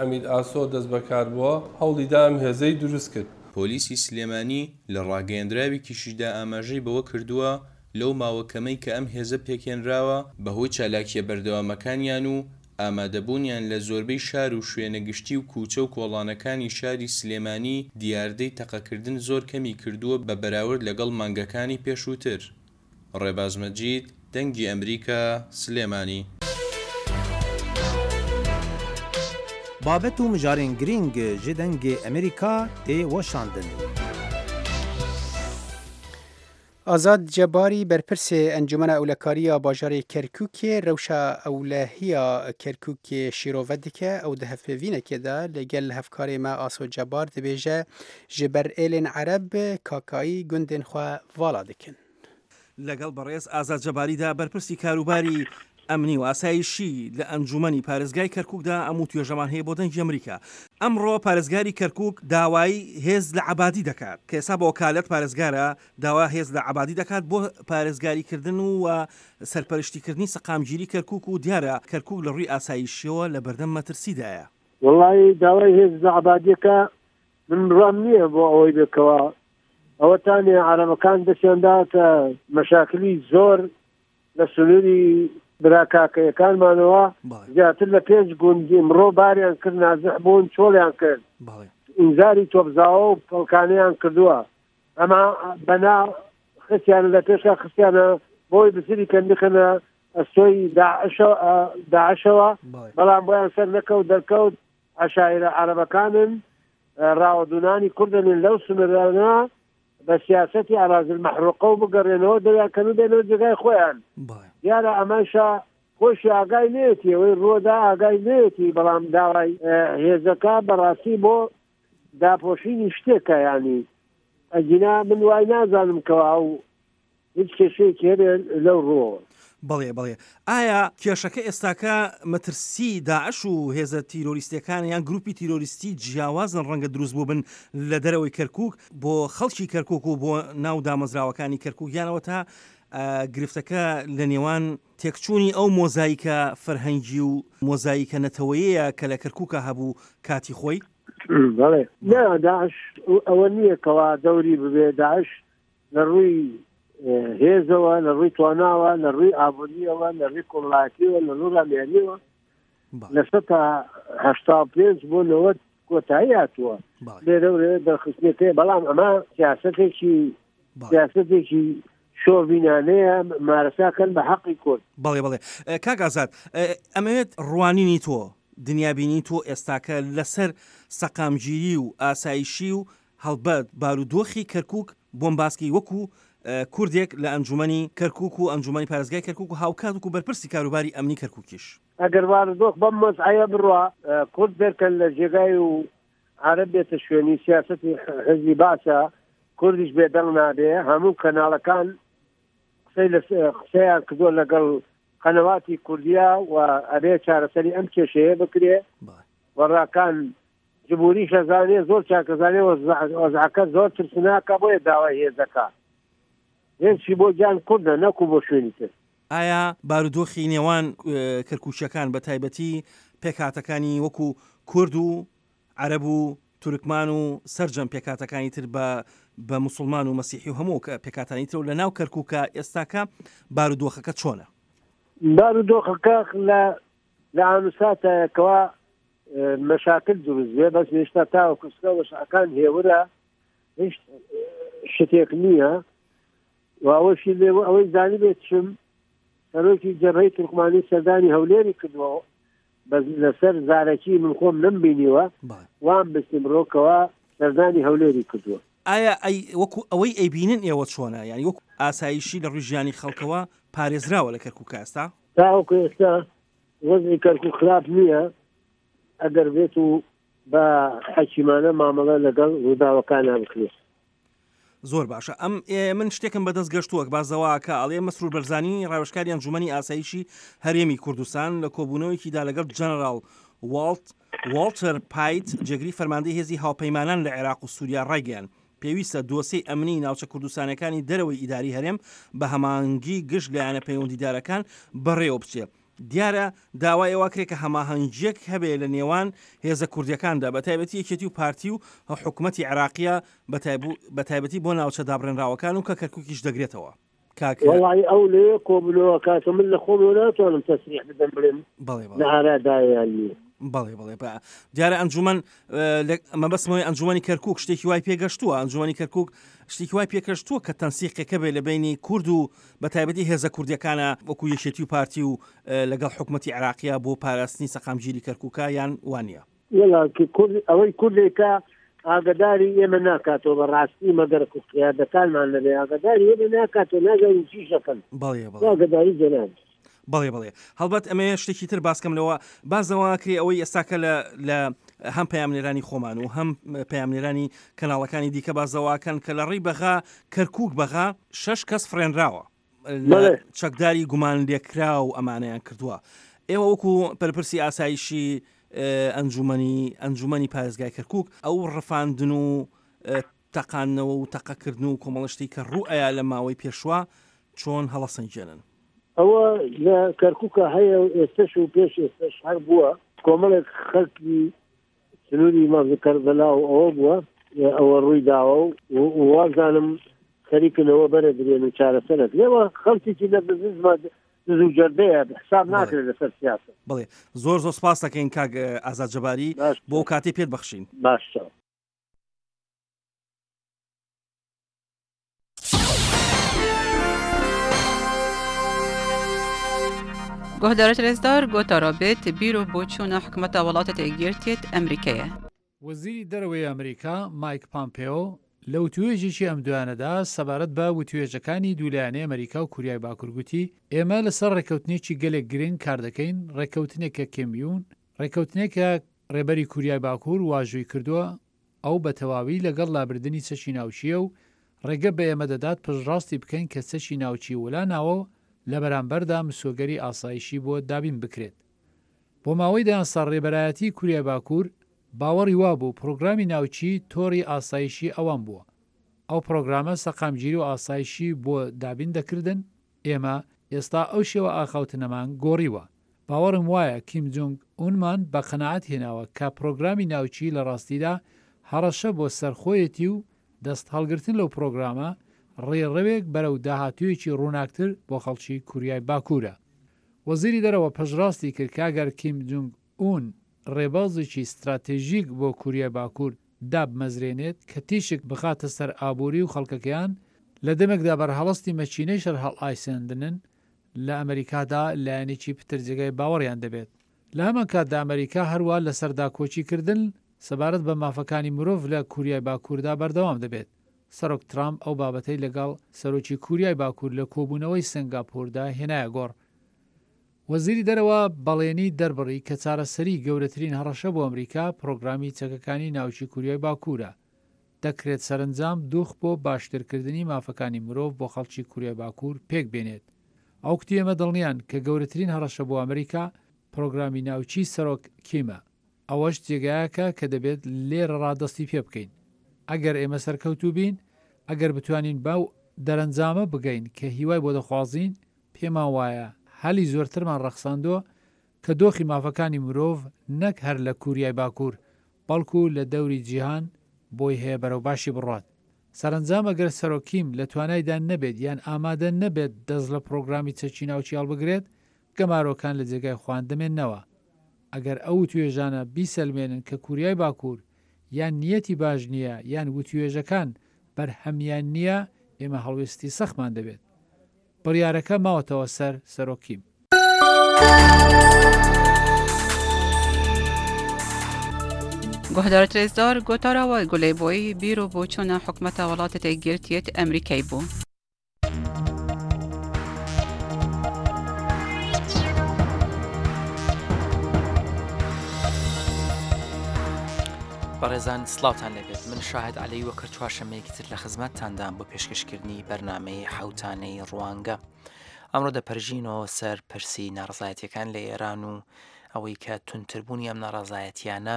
عەمید ئاسۆ دەستبەکار بووە، هەوڵی دا ئەم هێزەی دروست کرد. پۆلیسی سلێمانی لە ڕاگەیەندراوێکیشیدا ئاماژەی بەوە کردووە، لەو ماوە کەمەی کە ئەم هێزە پێکهێنراوە، بەهۆی چالاکییە بەردەوامەکانیان و ئامادەبوونیان لە زۆربەی شار و شوێنە گشتی و کوچە و کۆڵانەکانی شاری سلێمانی دیاردەی تەقەکردن زۆر کەمی کردووە بە بەراورد لەگەڵ مانگەکانی پێشووتر. ڕێباز مەجید، دەنگی ئەمریکا، سلێمانی. Babet û mijarên girîng ji Dengê Amerîka tê weşandin. ئازاد جەباری بەرپرسê Encûmena Ewlekarî ya bajarê Kerkûkê rewşa ewlehiya Kerkûkê şîrove dike. Ew di hevpeyvînekê de li gel hevkarê me Aso Cebar dibêje ji ber êlên Ereb kakayî gundên xwe vala dikin. لەگەڵ بەڕێز ئازاد جەباریدا بەرپرسی کاروباری ئەمنی و ئاسایشی لە ئەنجومەنی پارێزگای کەرکوکدا ئەم وتوێژەمان هەیە بۆ دەنگی ئەمریکا. ئەمڕۆ پارێزگاری کەرکوک داوای هێز لە عەبادی دەکات کە ئێستا بە وەکالەت پارێزگارە داوا هێز لە عەبادی دەکات بۆ پارێزگاری کردن و سەرپەرشتی کردنی سەقامگیری کەرکوک و دیارە کەرکوک لە ڕووی ئاسایشیەوە لە بەردەم مەترسیدایە. وەڵایی داوای هێز لە عەبادیەکە من بڕوام نییە بۆ ئەوەی بێ کەوا ئەوەتانێ عەرەبەکان دەستیان داوەتە مەشاکلی زۆر لە سنووری برا کاکەیەکانمانەوە زیاتر لە پێنج گوند ئمڕۆ باریان کرد نازح بوون چۆڵیان کرد ئینزاری تۆپزاوە و پەڵکانیان کردووە ئەما بەنا خستیانە لە پێشا خستیانە بۆی بزری کەن بخەنە ئەستۆی داعشەوە بەڵام بۆیان سەر نەکەوت دەرکەوت عەشایرە عەرەبەکانن ڕاوەدوونانی کوردن لەو سنوورانە بە سیاسەتی ئەراضی المحروقە و بگەڕێنەوە دەریان کەن و بێنەوە جێگای خۆیان. دیارە ئەمەشە خۆشی ئاگای نێتی ئەوەی ڕووەدا ئاگای نێتی بەڵام داوای هێزەکە بەڕاستی بۆ داپۆشینی شتێکە ینی ئەگینا من وای نازانم کەوا ئەو هیچ کێشەیەکی هەبێ لەو ڕووەوە. بەڵێ بەڵێ. ئایا کێشەکە ئێستاکە مەترسی داعش و هێزە تیرۆریستیەکان یان گروپی تیرۆریستی جیاوازن ڕەنگە دروست بووبن لە دەرەوەی کەرکوک بۆ خەڵکی کەرکوک و بۆ ناو دامەزراوەکانی کەرکوک یان ئەوەتا گرفتەکە لە نێوان تێکچوونی ئەو مۆزایکە فەرهەنگی و مۆزایکە نەتەوەیەیە کە لە کەرکوکا هەبوو کاتی خۆی؟ بەڵێ نا داعش ئەوە نییە کەوا دەوری ببێ داعش لە ڕووی هێزەوە لە ڕووی تواناوە لە ڕووی ئابووریەوە لە ڕووی کۆمەڵایەتیەوە لە ڕووی ڕامیاریەوە لە 85 بۆ 90 کۆتایی هاتووە لێرە و لێرە دەرخستنەکەی بەڵام ئەمە سیاستێکی سیاستێکی شۆڤینانەیە مارەساکەن بە حەقی کورد. بەڵێ بەڵێ کاک ئازاد ئەمەوێت ڕوانینی تۆ دنیابینی تۆ ئێستاکە لەسەر سەقامگیری و ئاسایشی و هەڵبەت بارودۆخی کەرکوک بۆم باسکەی وەکو کوردێک لە ئەنجومەنی کەرکوک و ئەنجومەنی پارێزگای کەرکوک و هاوکات وەکو بەرپرسی کاروباری ئەمنی کەرکوکیش. ئەگەر بارودۆخ بەم وەزعەیە بڕوا کورد دەرکەن لە جێگای و عەرەب بێتە شوێنی سیاسەتی حزبی بەعسە کوردیش بێدەنگ نابێ هەموو کەناڵەکان قسەی لە قسەیان کردووە لەگەڵ قەنەواتی کوردیا و ئەبێ چارەسەری ئەم کێشەیە بکرێ و ڕاکان جمهوریش ئەزانێ زۆر چاک ئەزانێ وەزعەکە زۆر ترسناکە بۆیە داوای هێزەکە هێزشی بۆ گیان کوردە نەکو بۆ شوێنی تر. ئایا بارودۆخی نێوان کەرکوکیەکان بە تایبەتی پێکهاتەکانی وەکو کورد و عەرەب و تورکمان و سەرجەم پێکهاتەکانی تر بە بە موسڵمان و مەسیحی و هەموو پێکهاتانی ترەوە لە ناو کەرکوکا ئێستاکە بارودۆخەکە چۆنە؟ بارودۆخەکە لە لە ئانوساتایە کەوا مەشاکل دروست بێ بەس هێشتا تاوەکو ئێستا وەزعەکان هێورە هیچ شتێک نییە و ئەوەشی لێ ئەوەی زانی بێت چم سەرۆکی جەبهەی تورکمانی سەردانی هەولێری کردووە بەس لەسەر زارەکی من خۆم نەمبینیوە وام بستیم ڕۆکەوە سەردانی هەولێری کردووە. ئایا ئەی وەکو ئەوەی ئەیبینن ئێوە چۆنە یانی وەکو ئاسایشی لە ڕووی ژیانی خەڵکەوە پارێزراوە لە کەرکوکا ئێستا؟ تاوەکو ئێستا وەزعی کەرکوک خراپ نییە ئەگەر بێت و بە حەکیمانە مامەڵە لەگەڵ ڕووداوەکانا بکرێت. زۆر باشە ئەم من شتێکم بەدەست گەشتووە بازەواکە ئەڵێ مەسرور بەرزانی ڕاوێژکاری ئەنجومەنی ئاسایشی هەرێمی کوردستان لە کۆبوونەوەیەکیدا لەگەڵ جەنەراڵ واڵت واڵتەر پایت جێگری فەرماندەی هێزی هاوپەیمانان لە عێراق و سووریا ڕایگەیاند پێویستە دۆسێی ئەمنی ناوچە کوردستانیەکانی دەرەوەی ئیداری هەرێم بە هەماهەنگی گشت لایەنە پەیوەندیدارەکان بەڕێوە بچێ. دیارە داوای ئەوە کرێ کە هەماهەنگیەک هەبێ لە نێوان هێزە کوردیەکاندا بە تایبەتی یەکێتی و پارتی و حکومەتی عێراقیە بە تایبەتی بۆ ناوچە دابڕێنراوەکان و کە کەرکوکیش دەگرێتەوە. کاک. وەڵایی ئەو لەوێ کۆبوونەوە کاکە من لە خۆمەوە ناتوانم تەسریح بدەم بڵێم بەڵێ بەڵێ. لە ئارادایە یان نییە. بەڵێ بەڵێ بە دیارە ئەنجومەن مەبەستمەوەی ئەنجومەنی کەرکوک شتێکی وای پێگەشتووە ئەنجومەنی کەرکوک شتێکی وای پێکەشتووە کە تەنسیقێکە بێ لە بینی کورد و بە تایبەتی هێزە کوردیەکانە وەکو یەکێتی و پارتی و لەگەڵ حکوومەتی عراقیە بۆ پاراستنی سەقامگیری کەرکوکە یان وانە وەڵا کە کورد ئەوەی کوردێکە ئاگەداری ئێمە ناکاتەوە بە ڕاستی مەگەر کو قیادەکانمان نەبێ ئاگەداری ئێمە ناکاتەوە نازانین چیش دەکەن. بەڵێ بەڵێ. ئاگەداری جەنابت. بەڵێ بەڵێ هەڵبەت ئەمەیە شتێکی تر باسکەم لەوە باس لەوە ئەکرێ ئەوەی ئێستاکە لە لە هەم پەیامنێرانی خۆمان و هەم پەیامنێرانی کەناڵەکانی دیکە باس لەوە ئەکەن کە لە ڕێی بەغا کەرکوک بەغا شەش کەس فڕێنراوە بەڵێ. چەکداری گومان لێکراو ئەمانەیان کردووە ئێوە وەکو پەرپرسی ئاسایشی ئەنجومەنی ئەنجومەنی پارێزگای کەرکک ئەو ڕفاندن و تەقاندنەوە و تەقەکردن و کۆمەڵە شتی کە ڕوو ئەیا لە ماوەی پێشوا چۆن هەڵەسەنگێنن؟ ئەوە لە کەرکوکا هەیە و ئێستەش و پێش ئێستەش هەر بووە، کۆمەڵێک خەڵکی سنووری مەرز کەربەلا و ئەوە بووە ئەوە ڕووی داوە و وازانم خەریکن ئەوە بەرەدرێن و چارەسەر ئەکرێ و خەڵکێکی لە بزنس دز و جەردەیە حساب ناکرێت لەسەر سیاسەت. بەڵێ زۆر زۆر سپاس دەکەین کاک ئازاد جەباری بۆ ئەو کاتەی پێت بەخشین. باشە. Guhdarê Rêzdar gotara bêt bîr û boçûna hikûmeta welatê Yekgirtiyê Emrîkê ye. وەزیری دەرەوەی ئەمریکا مایک پامپێۆ لە وتوێژێکی ئەم دوایانەدا سەبارەت بە وتوێژەکانی دوولایەنەی ئەمریکا و کوریای باکور گوتی ئێمە لەسەر ڕێککەوتنێکی گەلێک گرنگ کاردەکەین ڕێککەوتنێک کە کیم یون ڕێککەوتنێک کە ڕێبەری کوریای باکور واژۆی کردووە ئەو بە تەواوی لەگەڵ لابردنی چەکی ناوکییە و ڕێگە بە ئێمە دەدات پشتڕاستی بکەین کە چەکی ناوکی ولا ناوە و لە بەرامبەردا مسۆگەری ئاسایشی بۆ دابین بکرێت. بۆ ماوەی دەیان ساڵ ڕێبەرایەتیی کوریای باکوور باوەڕی وابوو پڕۆگرامی ناوکی تۆڕی ئاسایشی ئەوان بووە. ئەو پڕۆگرامە سەقامگیری و ئاسایشی بۆ دابین دەکردن، ئێمە ئێستا ئەو شێوە ئاخاوتنەمان گۆڕیوە. باوەڕم وایە کیم جونگ ئونمان بە قەناعەت هێناوە کە پرۆگرامی ناوکیی لە ڕاستیدا هەڕەشە بۆ سەر خۆیەتی و دەست هەڵگرتن لەو پرۆگرامە ڕێڕەوێک بەرەو داهاتوویەکی ڕووناکتر بۆ خەڵکی کوریای باکوورە. وەزیری دەرەوە پشتڕاستی کرد کە ئەگەر کیم جونگ ئون ڕێبازێکی ستراتێژیک بۆ کوریای باکوور دابمەزرێنێت کە تیشک بخاتە سەر ئابووری و خەڵکەکەیان، لە دەمێکدا بەرهەڵستی مەکینەی شەرهەڵئایساندنن لە ئەمەریکادا لایەنێکی پتر جێگای باوەڕیان دەبێت. لە هەمان کاتدا ئەمەریکا هەروا لەسەر داکۆکی کردن سەبارەت بە مافەکانی مرۆڤ لە کوریای باکووردا بەردەوام دەبێت. سەرۆک ترامپ ئەو بابەتەی لەگەڵ سەرۆکی کوریای باکوور لە کۆبوونەوەی سەنگاپوردا هێنایە گۆڕ. وەزیری دەرەوە بەڵێنی دەربڕی کە چارەسەری گەورەترین هەڕەشە بۆ ئەمریکا پرۆگرامی چەکەکانی ناوکی کوریای باکوورە. دەکرێت سەرەنجام دوخ بۆ باشترکردنی مافەکانی مرۆڤ بۆ خەڵکی کوریای باکوور پێک بێنێت. ئەو کوتی ئێمە دڵنیان کە گەورەترین هەڕەشە بۆ ئەمریکا پرۆگرامی ناوکیی سەرۆک کیمە. ئەوەش جێگایەکە کە دەبێت لێرەڕا دەستی پێ بکەین. ئەگەر ئێمە سەرکەوتوو بین، ئەگەر بتوانین بەو دەرەنجامە بگەین کە هیوای بۆ دەخوازین، پێمان وایە هەلی زۆرترمان ڕەخساندووە کە دۆخی مافەکانی مرۆڤ نەک هەر لە کوریای باکوور، بەڵکو لە دەوری جیهان بۆی هەیە بەرەو باشی بڕوات. سەرەنجام ئەگەر سەرۆک کیم لە توانایدا نەبێت یان ئامادە نەبێت دەست لە پڕۆگرامی چەکی ناوکی هەڵبگرێت، گەمارۆکان لە جێگای خۆیان دەمێننەوە. ئەگەر ئەو وتوێژانە بیسەلمێنن کە کوریای باکوور یان نیەتی باش نییە یان وتوێژەکان بەرهەمیان نییە، ئێمە هەڵوێستی سەختمان دەبێت. بڕیارەکە ماوەتەوە سەر سەرۆک کیم. Guhdar Rêzdar gotara we gulê boyî bîr û boçûna hikûmeta welatê Yekgirtiyê Emrîkayê bû. بەڕێزان سڵاوتان لێبێت من شاهد عەلی وەکەر چوارشەمەیەکی تر لە خزمەتتاندام بۆ پێشکەشکردنی بەرنامەی حەوتانەی ڕوانگە ئەمڕۆ دەپەرژینەوە سەر پرسی ناڕزایەتیەکان لە ئێران و ئەوەی کە تونتربوونی ئەم ناڕازایەتیانە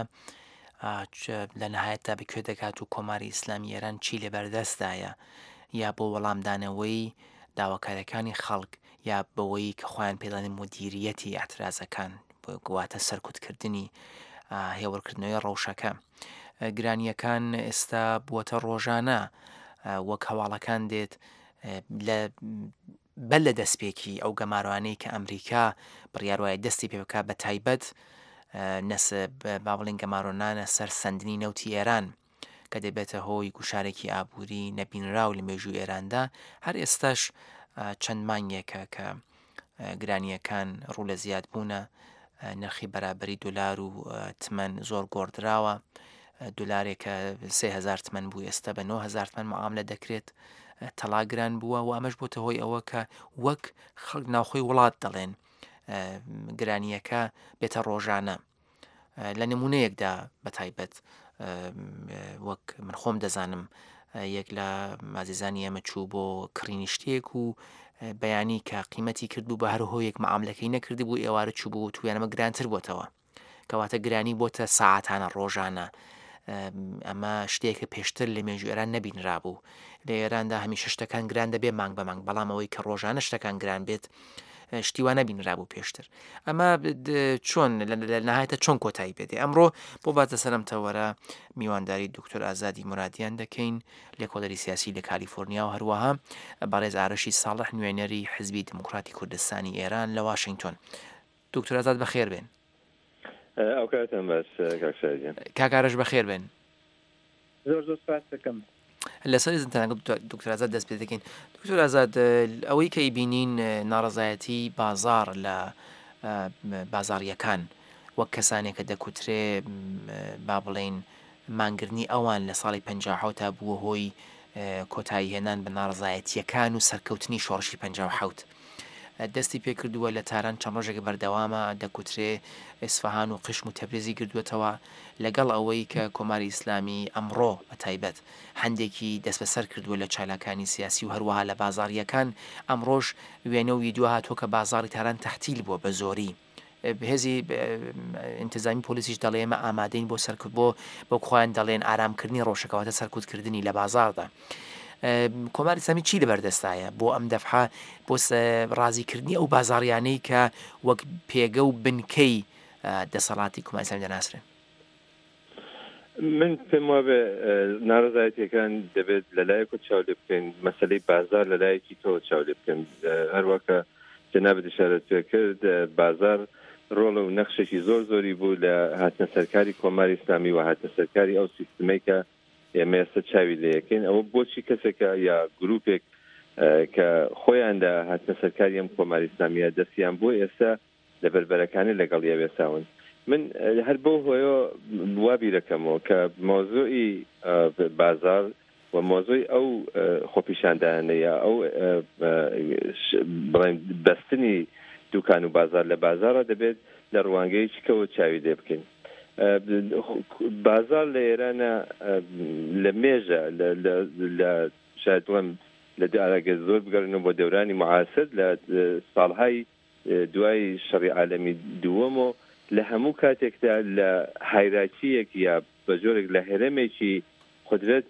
لە نهایەتدا بەکوێ دەگات و کۆماری ئیسلامی ئێران چی لە بەردەستدایە یا بۆ وەڵامدانەوەی داواکاریەکانی خەڵک یا بەوەی کە خۆیان پێدەڵێن مدیریەتی ئیعترازەکان واتە سەرکوتکردنی هێورکردنەوەی ڕەوشەکە گرانیەکان ئێستا بووەتە ڕۆژانە وەک هەواڵەکان دێت لە بەر لە دەستپێکی ئەو گەمارۆانەی کە ئەمریکا بڕیار وایە دەستی پێ بکات بە تایبەت نەس با بڵێن گەمارۆنانە سەر سەندنی نەوتی ئێران کە دەبێتە هۆی گوشارێکی ئابووری نەبینراو لە مێژوو ئێراندا هەر ئێستاش چەند مانگێکە کە گرانیەکان ڕوو لە زیاد بوونە نرخی بەرابری دلار و تمەن زۆر گۆڕدراوە. دولارێک کە 3000 تمەن بوو ئێستا بە 9000 تمەن معاملە دەکرێت تەڵا گران بووە و ئەمەش بۆتە هۆی ئەوە کە وەک خەڵک ناوخۆی وڵات دەڵێن گرانیەکە بێتە ڕۆژانە لە نمونەیەکدا بە تایبەت وەک من خۆم دەزانم یەک لە مازیزانی ئێمە چوو بۆ کڕینی شتێک و بەیانی کە قیمەتی کردبوو بە هەر هۆیەک معاملەکەی نەکردبوو ئێوارە چوو بوو تویانەمە گرانتر بۆتەوە کەواتە گرانی بۆتە ساعتانە ڕۆژانە ئەمە شتێکە پێشتر لە مێژوو ئێران نەبینرابوو لە ئێراندا هەمیشە شتەکان گران دەبێ مانگ بە مانگ بەڵام ئەوەی کە ڕۆژانە شتەکان گران بێت شتی وا نەبینرابوو پێشتر ئەمە چۆن لە نهایەتە چۆن کۆتایی پێدێ ئەمڕۆ بۆ باتە سەرم تەوەرە میوانداری دکتۆر ئازادی مرادیان دەکەین لێکۆڵەری سیاسی لە کالیفۆرنیا و هەروەها بەڕێز ئارەشی ساڵح نوێنەری حزبی دموکراتی کوردستانی ئێران لە واشنگتۆن دکتۆر ئازاد بەخێر بێن. ئەو کاتتان باش کاک شاهید گیان. کاک ئارەش بەخێر بێن. زۆر زۆر سپاست دەکەم. لەسەر ئیزنتان لەگەڵ دکتۆر ئازاد دەست پێ دەکەین. دکتۆر ئازاد ئەوەی کە ئەیبینین ناڕەزایەتی بازاڕ لە بازاڕییەکان وەک کەسانێک کە دەکوترێ با بڵێین مانگرنی ئەوان لە ساڵی 57 تا بووە هۆی کۆتایی هێنان بە ناڕەزایەتییەکان و سەرکەوتنی شۆڕشی 57 دەستی پێکردووە لە تاران چەند ڕۆژێکە بەردەوامە، دەکوترێ ئیسفەهان و قشم و تەبرێزی گردووەتەوە، لەگەڵ ئەوەی کە کۆماری ئیسلامی ئەمڕۆ بە تایبەت هەندێکی دەستبەسەر کردووە لە چالاکانی سیاسی و هەروەها لە بازاڕییەکان، ئەمڕۆش وێنە و ویدیۆ هاتووە کە بازاڕی تاران تەعتیل بووە بە زۆری. هێزی ئینتزامی پۆلیسیش دەڵێ ئێمە ئامادەین بۆ سەرکوت بۆ وەک خۆیان دەڵێن ئارامکردنی ڕەوشەکە واتە سەرکوتکردنی لە بازاڕدا. کۆماری ئیسلامی چی لەبەردەستایە بۆ ئەم دەفعە بۆ ڕازیکردنی ئەو بازاڕیانەی کە وەک پێگە و بنکەی دەسەڵاتی کۆماری ئیسلامی دەناسرێن؟ من پێم وابێ ناڕەزایەتیەکان دەبێت لەلایەکەوە چاو لێ بکەین مەسەلەی بازار لەلایەکی کەوە چاو لێ بکەین هەروە کە جەنابت ئشارەت پێ کرد بازار ڕۆڵ و نەخشێکی زۆر زۆری بوو لە هاتنە سەرکاری کۆماری ئیسلامی و هاتنە سەرکاری ئەو سیستمەی کە ئێمە ئێستا چاوی لێ یەکەین ئەوە بۆچی کەسێکە یا گروپێک کە خۆیان لە هاتنە سەرکاری ئەم کۆماری ئیسلامیە دەستیان بوو ئێستا لە بەربەرەکانێ لەگەڵیا وێساون. من هەر بەو هۆیەوە وا بیرەکەمەوە کە مەوزوعی بازاڕ و مەوزوعی ئەو خۆپیشاندانە یا ئەو بڵێن بەستنی دوکان و بازار لە بازاڕە دەبێت لە ڕوانگەیەکی کەوە چاوی لێ بکەین. بازاڕ لە ئێرانە لە مێژە لە شاید بڵێم لە ئەگەر زۆر بگەڕێنەوە بۆ دەورانی معاسر لە ساڵهای دوای شەڕی عالەمی دووەم و لە هەموو کاتێکدا لە هایراکییەک یا بە جۆرێک لە هەرەمێکی قودرەت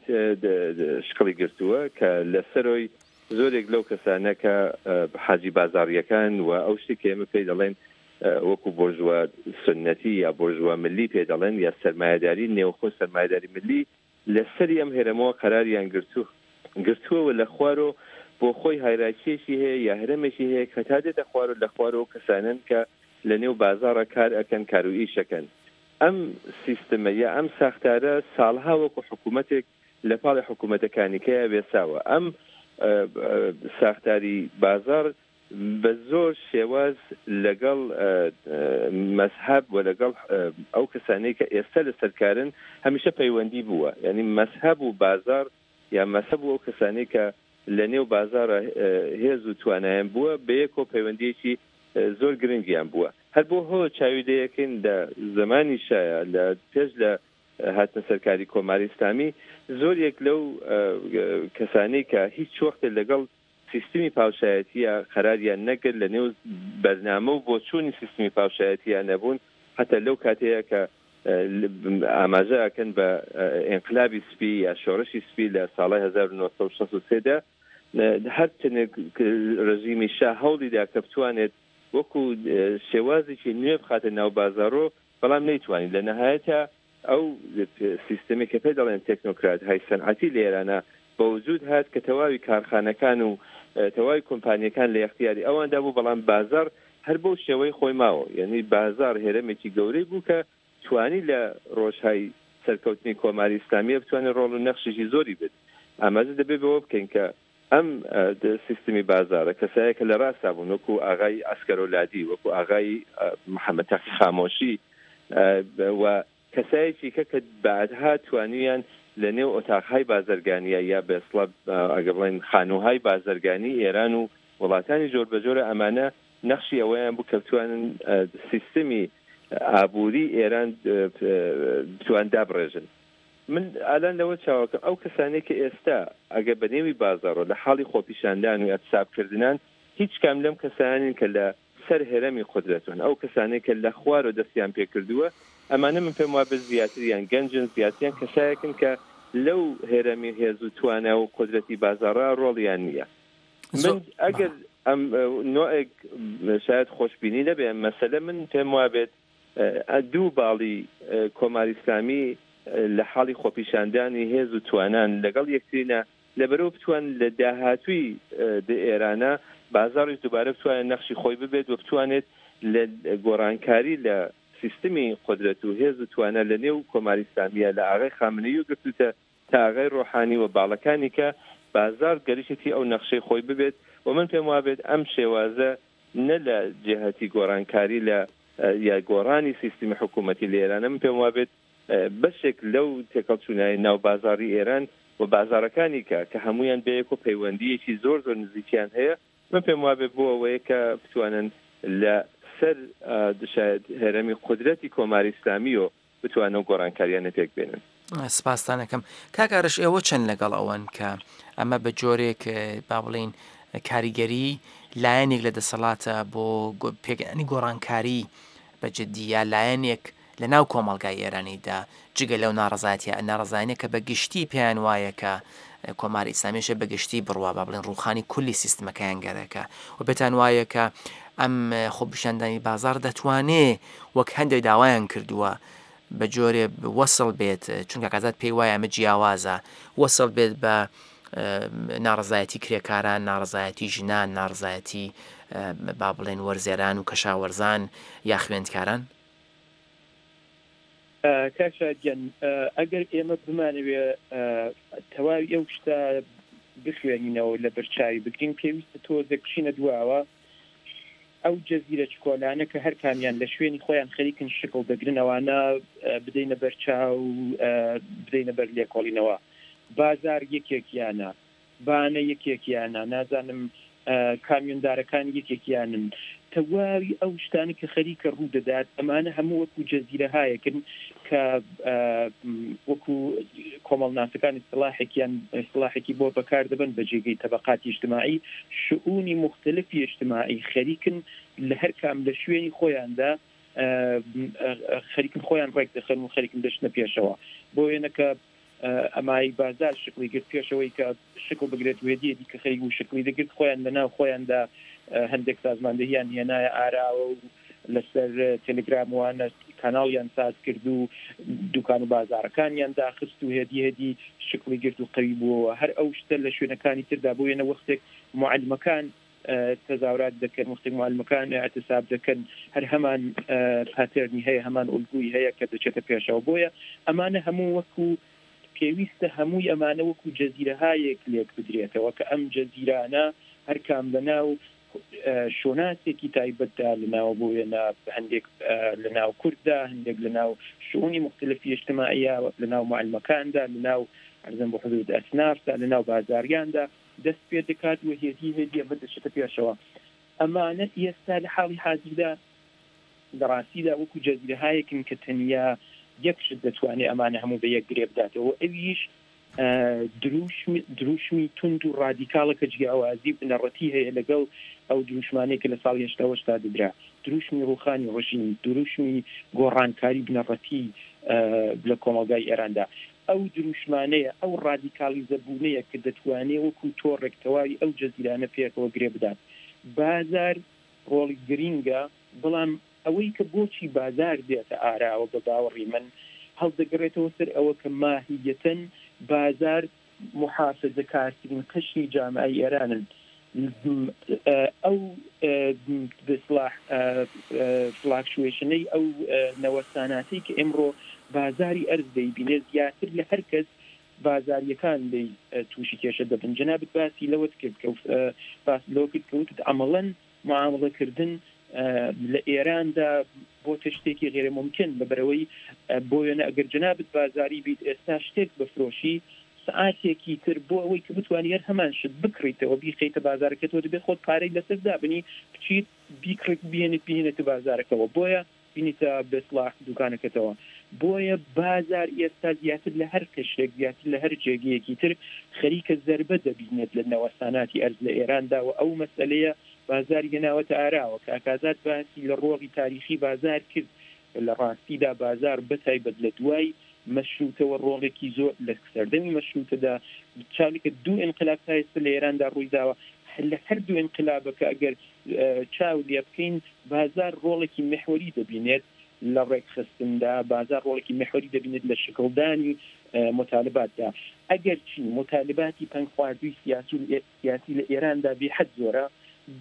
شکڵی گرتووە کە لە سەرۆی زۆرێک لەو کەسانە کە حاجی بازاڕییەکان و ئەو شتێک کە ئێمە پێی دەڵێن وەکو بۆرژوا سوننەتی یا بۆرژوا ملی پێ دەڵێن یا سەرمایەداری نێوخۆ سەرمایەداری ملی لە سەری ئەم هێرەمەوە قەراریان گرتوو گرتووە و لە خوارۆ بۆ خۆی هایراکییەکی هەیە یا هەرەمێکی هەیە کە تا دێتە خوارۆ لە خوارۆ کەسانەن کە لە نێو بازاڕا کار ئەکەن کار و ئیش ئەکەن ئەم سیستمە یا ئەم ساختارە ساڵها وەکو حکوومەتێک لە پاڵی حکوومەتەکانیکەیا وێساوە ئەم ساختاری بازاڕ بە زۆر شێواز لەگەڵ مەزهەب و لەگەڵ ئەو کەسانەی کە ئێستا لەسەر کارن هەمیشە پەیوەندی بووە یانی مەزهەب و بازاڕ یا مەزهەب و ئەو کەسانەی کە لە نێو بازاڕا هێز و توانایان بووە بەیەکەوە پەیوەندییەکی زۆر گرنگیان بووە هەر بۆ هۆ چاوی لێیەکەین لە زەمانی شاە لە پێش لە هاتنە سەرکاری کۆماری ئیسلامی زۆر یەک لەو کەسانەی کە هیچ وەختێ لەگەڵ سیستمی پاوشایەتییە قەراریان نەگرت، لە نێو بەرنامە و بۆچوونی سیستمی پاوشایەتییە نەبوون، حەتا لەو کاتەیە کە ئاماژە ئەکەن بە ئینقلابی سپی یا شۆڕشی سپی لە ساڵای 1963 دا هەر چەندێک ڕژیمی شا هەوڵی دا کە بتوانێت وەکو شێوازێکی نوێ بخاتە ناو بازاڕۆ بەڵام نەیتوانی لە نەهایەتا ئەو سیستەمی کە پێ دەڵێن تێکنۆکرات های سەنعەتی لە ئێرانا بە وجوود هات کە تەواوی کارخانەکان و تەواوی کۆمپانییەکان لە ئیختیاری ئەواندا بوو بەڵام بازاڕ هەر بەو شێوەی خۆی ماوە یانی بازاڕ هێرەمێکی گەورەی بوو کە توانی لە ڕۆژهای سەرکەوتنی کۆماری ئیسلامییە بتوانێت ڕۆڵ و نەخشێکی زۆری بێت ئاماژە دەبێ بەوە بکەین کە ئەم سیستمی بازاڕە کەسایە کە لە ڕاستا بوون وەکوو ئاغای عەسکەرۆلادی وەکوو ئاغای محەممەد تەقی خامۆشی و. کەسایەکی کە کە بەعدها توانیان لە نێو ئۆتاقهای بازەرگانیە یا بێسڵە ئەگە بڵێن خانووهای بازەرگانی ئێران و وڵاتانی جۆربەجۆرە ئەمانە نەخشی ئەوەیان بوو کە بتوانن سیستمی ئابووری ئێران بتوان دابڕێژن. من ئالان لەوە چاوەکەم ئەو کەسانەی کە ئێستا ئەگەر بە نێوی بازاڕۆ لە حاڵی خۆپیشاندان و ئیعتساب کردنان هیچ کام لەم کەسانین کە لە سەر هەرەمی قودرەتن ئەو کەسانەی کە لە خوارەوە دەستیان پێ کردووە ئەمانە من پێم وابێت زیاتریان گەنجن زیاتریان کەسایەکن کە لەو هەرەمی هێز و توانا و قودرەتی بازاڕا ڕۆڵیان نییە. من ئەگەر ئەم نوعێک شاید خۆشبینی نەبێ مەسەلە من پێم وابێت دوو باڵی کۆماری ئیسلامی لە حاڵی خۆپیشاندانی هێز و توانان لەگەڵ یەکترینە لەبەرەوە بتوان لە داهاتووی دە ئێرانە بازاڕیش دووبارە بتوانێت نەخشی خۆی ببێت و بتوانێت لە گۆڕانکاری لە سیستمی قودرەت و هێز و توانا لە نێو کۆماری ئیسلامیە لە ئاغای خامنەیی و گرتووتە تا ئاغای ڕۆحانی و باڵەکانی کە بازاڕ گەریشتی ئەو نەخشەی خۆی ببێت و من پێم وابێت ئەم شێوازە نە لە جیهەتی گۆڕانکاری لە یا گۆڕانی سیستمی حکوومەتی لە ئێرانە من پێم وابێت بەشێک لەو تێکەڵچوونای ناو بازاڕی ئێران و بازاڕەکانی کە کە هەموویان بەیەک و پەیوەندییەکی زۆر زۆر نزیکیان هەیە من پێم وابێت بۆ ئەوەیە کە بتوانن لە سەر شاید هەرەمی قودرەتی کۆماری ئیسلامییەوە بتوانن ئەو گۆڕانکارییانە پێک بێنن. سپاستان ئەکەم. کاک ئارش ئێوە چەند لەگەڵ ئەوەن کە ئەمە بە جۆرێک با بڵێین کاریگەری لایەنێک لە دەسەڵاتە بۆ پێکهێنانی گۆڕانکاری بە جدی یا لایەنێک لە ناو کۆمەڵگای ئێرانیدا جگە لەو ناڕەزایەتیە ناڕەزایانە کە بە گشتی پێیان وایە کە کۆماری ئیسلامیشە بە گشتی بڕوا با بڵێن ڕووخانی کولی سیستمەکەیان گەرەکە و پێتان وایە کە ئەم خۆپیشاندانی بازاڕ دەتوانێ وەک هەندێک داوایان کردووە بە جۆرێ وەسڵ بێت چونکە کازاد پێی وایە ئەمە جیاوازە وەسڵ بێت بە ناڕزایەتی کرێکاران ناڕزایەتی ژنان ناڕزایەتی با بڵێن وەرزێران و کەشاوەرزان یا خوێندکاران؟ کاک شاد گیان ئەگەر ئێمە بمانەوێ تەواوی ئەو شتە بخوێنینەوە و لەبەرچاوی بگرین پێویستە تۆزێک بچینە دواوە ئەو جەزیرە چکۆلانە کە هەر کامیان لە شوێنی خۆیان خەریکن شکڵ دەگرن ئەوانە بدەینە بەرچاو بدەینە بەر لێکۆڵینەوە بازار یەکێکیانە بانە یەکێکیانە، نازانم کامیۆندارەکان یەکێکیانن، تەواوی ئەو شتانەی کە خەریکە ڕوو دەدات، ئەمانە هەموو وەکو جەزیرەهایەکن کە وەکو کۆمەڵناسەکان ئیستڵاحێکیان ئیستڵاحێکی بۆ بەکار دەبەن بە جێگەی تەبەقاتی ئیجتماعی، شئونی موختەلفی ئیجتماعی خەریکن لە هەر کام لە شوێنی خۆیاندا خەریکن خۆیان ڕێک دەخەن و خەریکن دەچنە پێشەوە. بۆ وێنە کە ئەمای بازار شکڵی گرت پێش ئەوەی کە شکڵ بگرێت و هێدی هێدی کە خەریک بوو شکڵی دەگرت خۆیان لە ناو خۆیاندا هەندێک سازماندەهیان هێنایە ئاراوە و لەسەر تەلگرام وانە کاناڵیان ساز کرد و دوکان و بازارەکانیان داخست و هێدی هێدی شکڵی گرت و قەوی بووەوە هەر ئەو شتە لە شوێنەکانی تردا بۆ وێنە وەختێک موعەلمەکان تەزاورات دەکەن، وەختێک موعەلمەکان ئیعتساب دەکەن هەر هەمان پاتێرنی هەیە، هەمان ئولگوی هەیە کە دەچێتە پێشەوە. بۆیە ئەمانە هەموو وەکو پێویستە هەمووی ئەمانە وەکو جەزیرەهایەک لێک بدرێتەوە کە ئەم جەزیرانە هەر کام لە ناو شۆناسێکی تایبەتدا لە ناو بۆ وێنە هەندێک لە ناو کورددا، هەندێک لە ناو شئونی موختەلفی ئیجتماعیە، لە ناو موعەلمەکاندا، لە ناو عەرزم بۆ حزورت ئەسنافدا، لە ناو بازاریاندا، دەست پێ دەکات و هێدی هێدی ئەمە دەچێتە پێشەوە. ئەمانە ئێستا لە حاڵی حازردا لە ڕاستیدا وەکوو جەزیرەهایەکن کە تەنیا یەک شت دەتوانێ ئەمانە هەموو بە یەک گرێ بداتەوە و ئەویش دروشم دروشمی توند و ڕادیکاڵە کە جیاوازی بنەڕەتی هەیە لەگەڵ ئەو دروشمانەی کە لە ساڵی هەشتاوهەشتا دەدرا. دروشمی ڕووخانی ڕژیم، دروشمی گۆڕانکاری بنەڕەتی لە کۆمەڵگای ئێراندا. ئەو دروشمانەیە، ئەو ڕادیکاڵیزە بوونەیە کە دەتوانێ وەکوو تۆڕێک تەواوی ئەو جەزیرانە پێکەوە گرێ بدات. بازار ڕۆڵی گرینگە، بەڵام ئەوەی کە بۆچی بازار دێتە ئاراوە بە باوەڕی من هەڵدەگەڕێتەوە سەر ئەوە کە ماهییەتەن بازار موحافزەکارترین قشری جامعەی ئێرانن. ئەو بسڵاح فلاکچوەیشنەی ئەو نەوەساناتەی کە ئێمڕۆ بازاری ئەرز دەیبینێ زیاتر لە هەر کەس بازاریەکان لێی تووشی کێشە دەبن جەنابت باسی لەوەت کرد کە باست لەوە کرد کە وتت عەمەڵەن معامڵە کردن لە ئێراندا بۆتە شتێکی غێرە مومکن لەبەرئەوەی بۆ وێنە ئەگەر جەنابت بازاری بیت ئێستا شتێک بفرۆشی سەعاتێکی تر بۆ ئەوەی کە بتوانی هەر هەمان شت بکڕیتەوە بیخەیتە بازارەکەتەوە دەبێت خۆت پارەی لەسەر دابنی بچیت بیکڕیت بهێنیت بهێنێتە بازارەکەوە بۆیە بینیتە بێسڵاح دوکانەکەتەوە بۆیە بازار ئێستا زیاتر لە هەر قشرێک زیاتر لە هەر جێگەیەکی تر خەریکە زەربە دەبینێت لە نەوەساناتی ئەرز لە ئێراندا و ئەو مەسەلەیە بازاری هێناوەتە ئاراوە. کاک ئازاد باسی لە ڕۆڵی تاریخی بازار کرد کە لە ڕاستیدا بازار بە تایبەت لە دوای مەشرووتەوە ڕۆڵێکی زۆر لە سەردەمی مەشرووتەدا چاوی کە دوو ئینقلاب تا ئێستا لە ئێراندا ڕووی داوە لە هەر دوو ئینقلابەکە ئەگەر چاو لێ بکەین بازار ڕۆڵێکی میحوەری دەبینێت لە ڕێکخستندا، بازار ڕۆڵێکی میحوەری دەبینێت لە شکڵدانی موتالباتدا. ئەگەرچی موتالباتی پەنگخواردووی سیاسی و سیاسی لە ئێراندا بێ حەد زۆرە،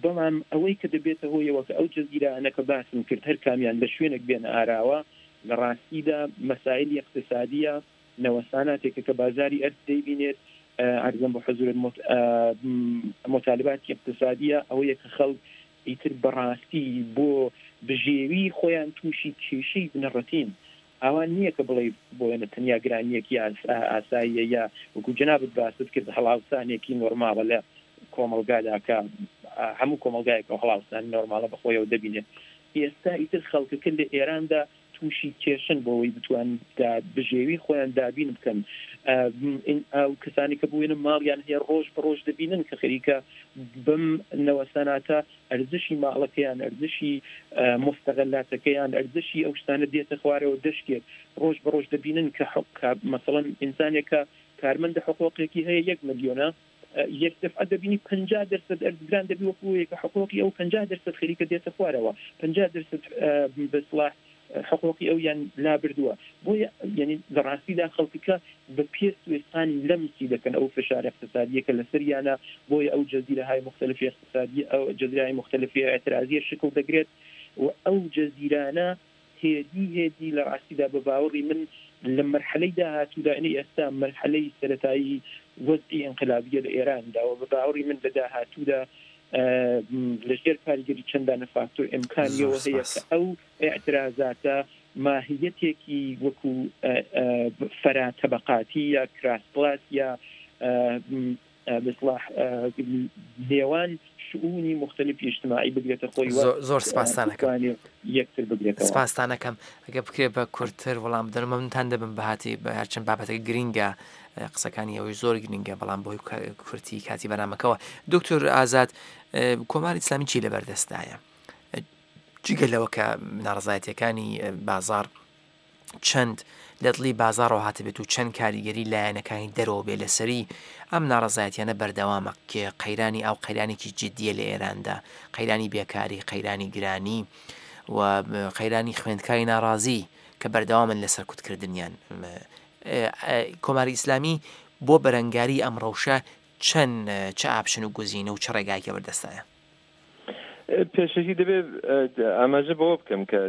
بەڵام ئەوەی کە دەبێتە هۆیەوە کە ئەو جەزیرانە کە باسم کرد هەر کامیان لە شوێنێک بێنە ئاراوە، لە ڕاستیدا مەسایلی ئیقتسادییە، نەوەساناتێکە کە بازاری ئەرز دەیبینێت، عەرزم بە حوزورت موتالباتی ئیقتسادییە، ئەوەیە کە خەڵک ئیتر بەڕاستی بۆ بژێوی خۆیان تووشی کێشەی بنەڕەتین. ئاوا نییە کە بڵێی بۆ وێنە تەنیا گرانییەکی ئاساییە یا وەکوو جەنابت باست کرد هەڵاوسانێکی نۆرماڵە لە کۆمەڵگادا کە هەموو کۆمەڵگایەک ئەو هەڵاوسانە نۆرماڵە بە خۆیەوە دەبینێت. ئێستا ئیتر خەڵکەکە لە ئێراندا تووشی کێشەن بۆ ئەوەی بتوانن بژێوی خۆیان دابین بکەن. ئەو کەسانی کە بۆ وێنە ماڵیان هەیە ڕۆژ بە ڕۆژ دەبینن کە خەریکە بەم نەوەساناتە ئەرزشی ماڵەکەیان، ئەرزشی موستەغەلاتەکەیان، ئەرزشی ئەو شتانە دێتە خوارەوە دەشکێت. ڕۆژ بە ڕۆژ دەبینن کە مەسەڵەن ئینسانێک کە کارمەندە حقوقێکی هەیە یەک ملیۆنە، یەک دەفعە دەبینی 50 دەرسەد ئەرز گران دەبی وەکو ئەوەیە کە حقوقی ئەو 50 دەرسەد خەریکە دێتە خوارەوە، 50 دەرسەد بە سڵاح حقوقی ئەویان لابردووە. بۆیە یانی لە ڕاستیدا خەڵکەکە بە پێست و ئێسقان لەمسی دەکەن ئەو فشارە ئیقتسادییە کە لەسەریانە، بۆیە ئەو جەزیرەهای موختەلفی ئیقتسادی ئەو جەزیرەهای موختەلفی ئیعترازییە شکڵ دەگرێت و ئەو جەزیرانە هێدی هێدی لە ڕاستیدا بە باوەڕی من لە مەرحەلەی داهاتوودا یانی ئێستا مەرحەلەی سەرەتایی وەزعی ئینقلابییە لە ئێراندا و بە باوەڕی من لە داهاتوودا لە ژێر کاریگەری چەندانە فاکتۆر ئیمکانی زۆر ئەوە هەیە سپاس. کە ئەو ئیعترازاتە ماهیەتێکی وەکوو فەرا تەبەقاتی یا کراس کلاس یا بە ئیستلاح نێوان شئونی موختەلیفی ئیجتماعی بگرێتە خۆی و زۆر سپاستان ئەکەم. بتوانێ یەکتر بگرێتەوە. سپاستان ئەکەم. ئەگەر بکرێ بە کورتتر وەڵام بدەنەوە مەمنونتان دەبم بەهاتی هەرچەند بابەتەکە گرینگە قسەکانی ئەوەی زۆر گرینگە بەڵام بۆی کورتی کاتی بەرنامەکەوە دکتۆر ئازاد کۆماری ئیسلامی چی لەبەردەستدایە جگە لەوە کە ناڕەزایەتیەکانی بازاڕ چەند لە دڵی بازاڕەوە هاتبێت و چەند کاریگەری لایەنەکانی دەرەوە بێ لەسەری، ئەم ناڕەزایەتیانە بەردەوامە، قەیرانی ئاو قەیرانێکی جدییە لە ئێراندا، قەیرانی بێکاری، قەیرانی گرانی و قەیرانی خوێندکاری ناڕازی کە بەردەوامن لە سەرکوتکردنیان. کۆماری ئیسلامی بۆ بەرەنگاری ئەم ڕەوشە چەند چ ئاپشن و گزینە و چ ڕێگایەکی بەردەستایە؟ پێشەکی دەبێت ئاماژە بەوە بکەم کە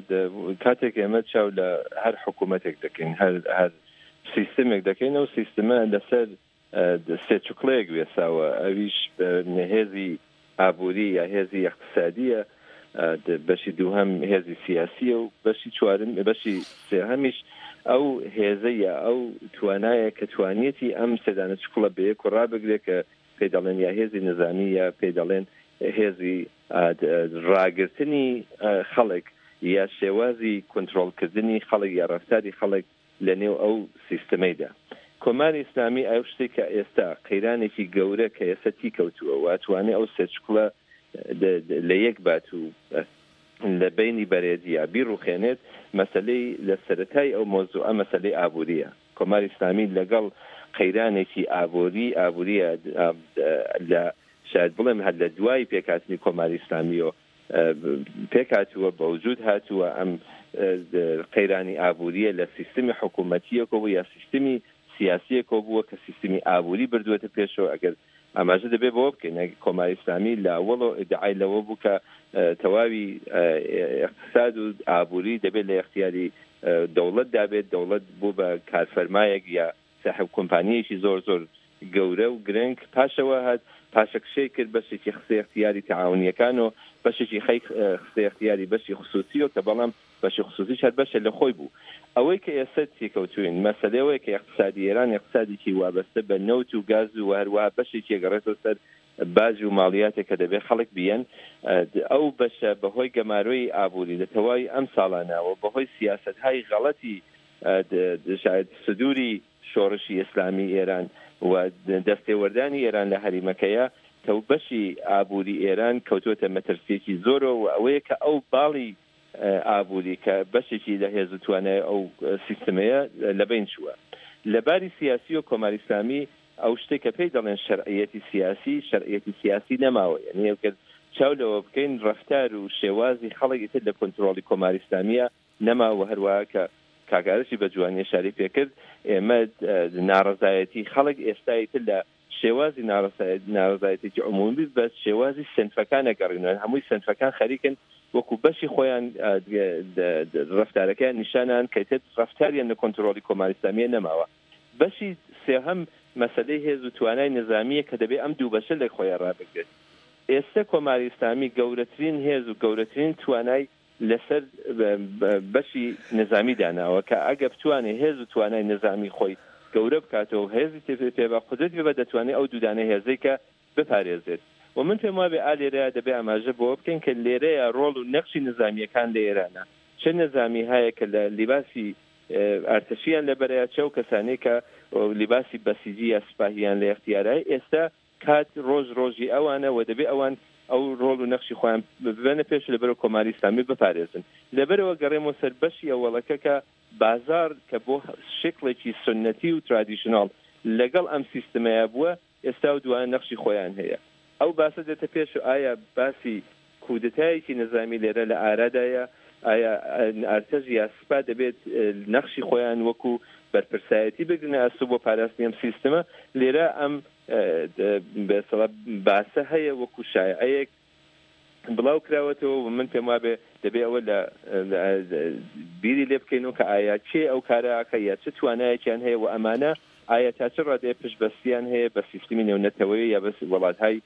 کاتێک ئێمە چاو لە هەر حکوومەتێک دەکەین هەر هەر سیستمێک دەکەین ئەو سیستمە لەسەر سێ چوکڵەیەک وێساوە ئەویش هێزی ئابووری یا هێزی اقتصادیە بەشی دووهەم هێزی سیاسیە و بەشی چوارم بەشی سێهەمیش ئەو هێزە یا ئەو توانایە کە توانیەتی ئەم سێدانە چکڵە بەیەک و ڕابگرێت کە پێی دەڵێن یا هێزی نزامی یا پێی دەڵێن هێزی ڕاگرتنی خەڵک یا شێوازی کونترۆڵکردنی خەڵک یا ڕەفتاری خەڵک لە نێو ئەو سیستمەیدا. کۆماری ئیسلامی ئەو شتەی کە ئێستا قەیرانێکی گەورە کە ئێستا تیکەوتووە و ئەتوانێ ئەو سێ چکڵە لە یەک بات و لە بەینی بەرێت یا بیڕوخێنێت مەسەلەی لە سەرەتای ئەو مەوزوعە مەسەلەی ئابوورییە. کۆماری ئیسلامی لەگەڵ قەیرانێکی ئابووری ئابووریە لە شاید بڵێم هەر لە دوای پێکهاتنی کۆماری ئیسلامیەوە پێکهاتووە بەوجود هاتووە ئەم قەیرانی ئابووریە لە سیستمی حکوومەتیەکەوە یا سیستمی سیاسیەکەوە بووە کە سیستمی ئابووری بردووەتە پێشەوە ئەگەر ئاماژە دەبێ بەوە بکەین کۆماری ئیسلامی لە ئەوەڵەوە ئیدعای لەوە بوو کە تەواوی ئیقتساد و ئابووری دەبێت لە ئیختیاری دەوڵەت دابێت، دەوڵەت بوو بە کارفەرمایەک یا ساحێب کۆمپانییەکی زۆر زۆر گەورە و گرنگ، پاشەوە هات پاشەکشەی کرد بەشێکی خستە ئیختیاری تەعاونییەکان و بەشێکی خەی خستە ئیختیاری بەشی خسووسیەوە کە بەڵام. بەشی خسوسیش هەر بەشێ لە خۆی بوو. ئەوەی کە ئێستە تێکەوتووین مەسەلەی ئەوەیە کە ئیقتسادی ئێران ئیقتسادێکی وابەستە بە نەوت و گاز و هەروەها بەشێکی ئەگەڕێتەوە سەر باج و ماڵیاتێک کە دەبێ خەڵک بیەن. ئەو بەشە بە هۆی گەمارۆی ئابووری لە تەواوی ئەم ساڵانە و بە هۆی سیاسەتهای غەڵەتی شاید سدووری شۆڕشی ئیسلامی ئێران و دەستێوەردانی ئێران لە هەریمەکەیە کە بەشی ئابووری ئێران کەوتووەتە مەترسییەکی زۆرەوە و ئەوەیە کە ئەو باڵی ئابووری کە بەشێکی لە هێز و توانای ئەو سیستمەیە لەبەین چووە. لە باری سیاسییەوە کۆماری ئیسلامی ئەو شتەی کە پێی دەڵێن شەرعییەتی سیاسی، شەرعییەتی سیاسی نەماوە. یانی ئەگەر چاو لەوە بکەین ڕەفتار و شێوازی خەڵک ئیتر لە کۆنترۆڵی کۆماری ئیسلامییە نەما و هەروەها کە کاک ئارشی بە جوانی ئیشارەی پێ کرد ئێمە ناڕەزایەتی خەڵک ئێستا ئیتر لە شێوازی ناڕەزایەتێکی عمومی بە شێوازی سنفەکان ئەگەڕینەوە هەمووی سنفەکان خەریکن وەکو بەشی خۆیان ڕەفتارەکەیان نیشانان کە ئیتر ڕەفتاریان لە کۆنترۆڵی کۆماری ئیسلامیە نەماوە بەشی سێهەم مەسەلەی هێز و توانای نزامیە کە دەبێ ئەم دوو بەشە لە خۆیان ڕابگرێت ئێستە کۆماری ئیسلامی گەورەترین هێز و گەورەترین توانای لەسەر بەشی نزامی داناوە کە ئەگە بتوانێ هێز و توانای نزامی خۆی گەورە بکاتەوە و هێزی پێ بە قودرەتی پێ بە دەتوانێ ئەو دوودانە هێزەی کە بپارێزێت و من پێم وابێ ئا لێرەیا دەبێ ئاماژە بەوە بکەین کە لێرەیا ڕۆڵ و نەخشی نزامییەکان لە ئێرانە چ نزامی هایە کە لە لیباسی ئارتەشیان لەبەرەیە چ ئەو کەسانەی کە لیباسی بەسیجی یا سپاهیان لە ئێختیارایە ئێستا کات ڕۆژ ڕۆژی ئەوانە و دەبێ ئەوان ئەو ڕۆڵ و نەخشی خۆیان ببەنە پێش و لەبەرەوە کۆماری ئیسلامی بپارێزن. لەبەرەوە گەڕێمەوە سەر بەشی ئەوەڵەکە کە بازاڕ کە بۆ شکڵێکی سوننەتی و ترادیشناڵ لەگەڵ ئەم سیستمەیا بووە ئێستا و دووانە نەخشی خۆیان هەیە. ئەو باسە دێتە پێش و ئایا باسی کودەتایەکی نزامی لێرە لە ئارادایە؟ ئایا ئارتەش یا سپا دەبێت نەخشی خۆیان وەکو بەرپرسایەتی بگرنە ئەستۆ بۆ پاراستنی ئەم سیستمە؟ لێرە ئەم بەسەڵا باسە هەیە وەکو شایعەیەک بڵاو کراوەتەوە و من پێم وابێ دەبێ ئەوە لە بیری لێ بکەینەوە کە ئایا کێ ئەو کارە ئەکا یا چ توانایەکیان هەیە و ئەمانە ئایا تا چ ڕادەیە پشتبەستیان هەیە بە سیستمی نێونەتەوەیی یا بەس وڵاتهای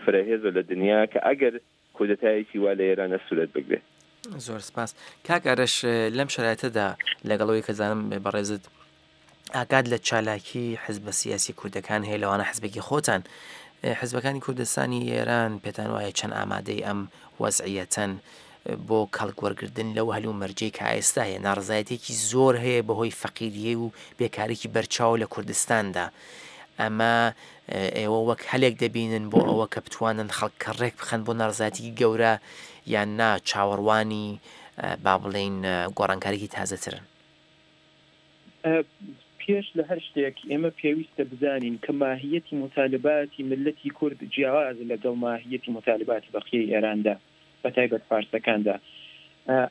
فرەهێزە لە دنیا کە ئەگەر کودەتایەکی وا لە ئێرانە سورەت بگرێ. زۆر سپاس کاک ئارەش لەم شەرایتەدا لەگەڵ ئەوەی کە زانم بەڕێزت ئاگات لە چالاکی حزبە سیاسی کوردەکان هەیە لەوانە حزبێکی خۆتان حزبەکانی کوردستانی ئێران پێتان وایە چەند ئامادەی ئەم وەزعیەتەن بۆ کەڵک وەرگردن لەو هەل و مەرجەی کە ئێستا هەیە ناڕزایەتێکی زۆر هەیە بەهۆی فەقیریە و بێکارێکی بەرچاو لە کوردستاندا ئەمە ئێوە وەک هەلێک دەبینن بۆ ئەوە کە بتوانن خەڵک ڕێک بخەن بۆ ناڕزایەتیکی گەورە یان نا چاوەڕوانی با بڵێین گۆڕانکاریی تازەترن؟ پێش لە هەر شتێک ئێمە پێویستە بزانین کە ماهیەتی موتالباتی میللەتی کورد جیاوازە لە گەڵ ماهیەتی موتالباتی بەقیەی ئێراندا بە تایبەت فارسەکاندا.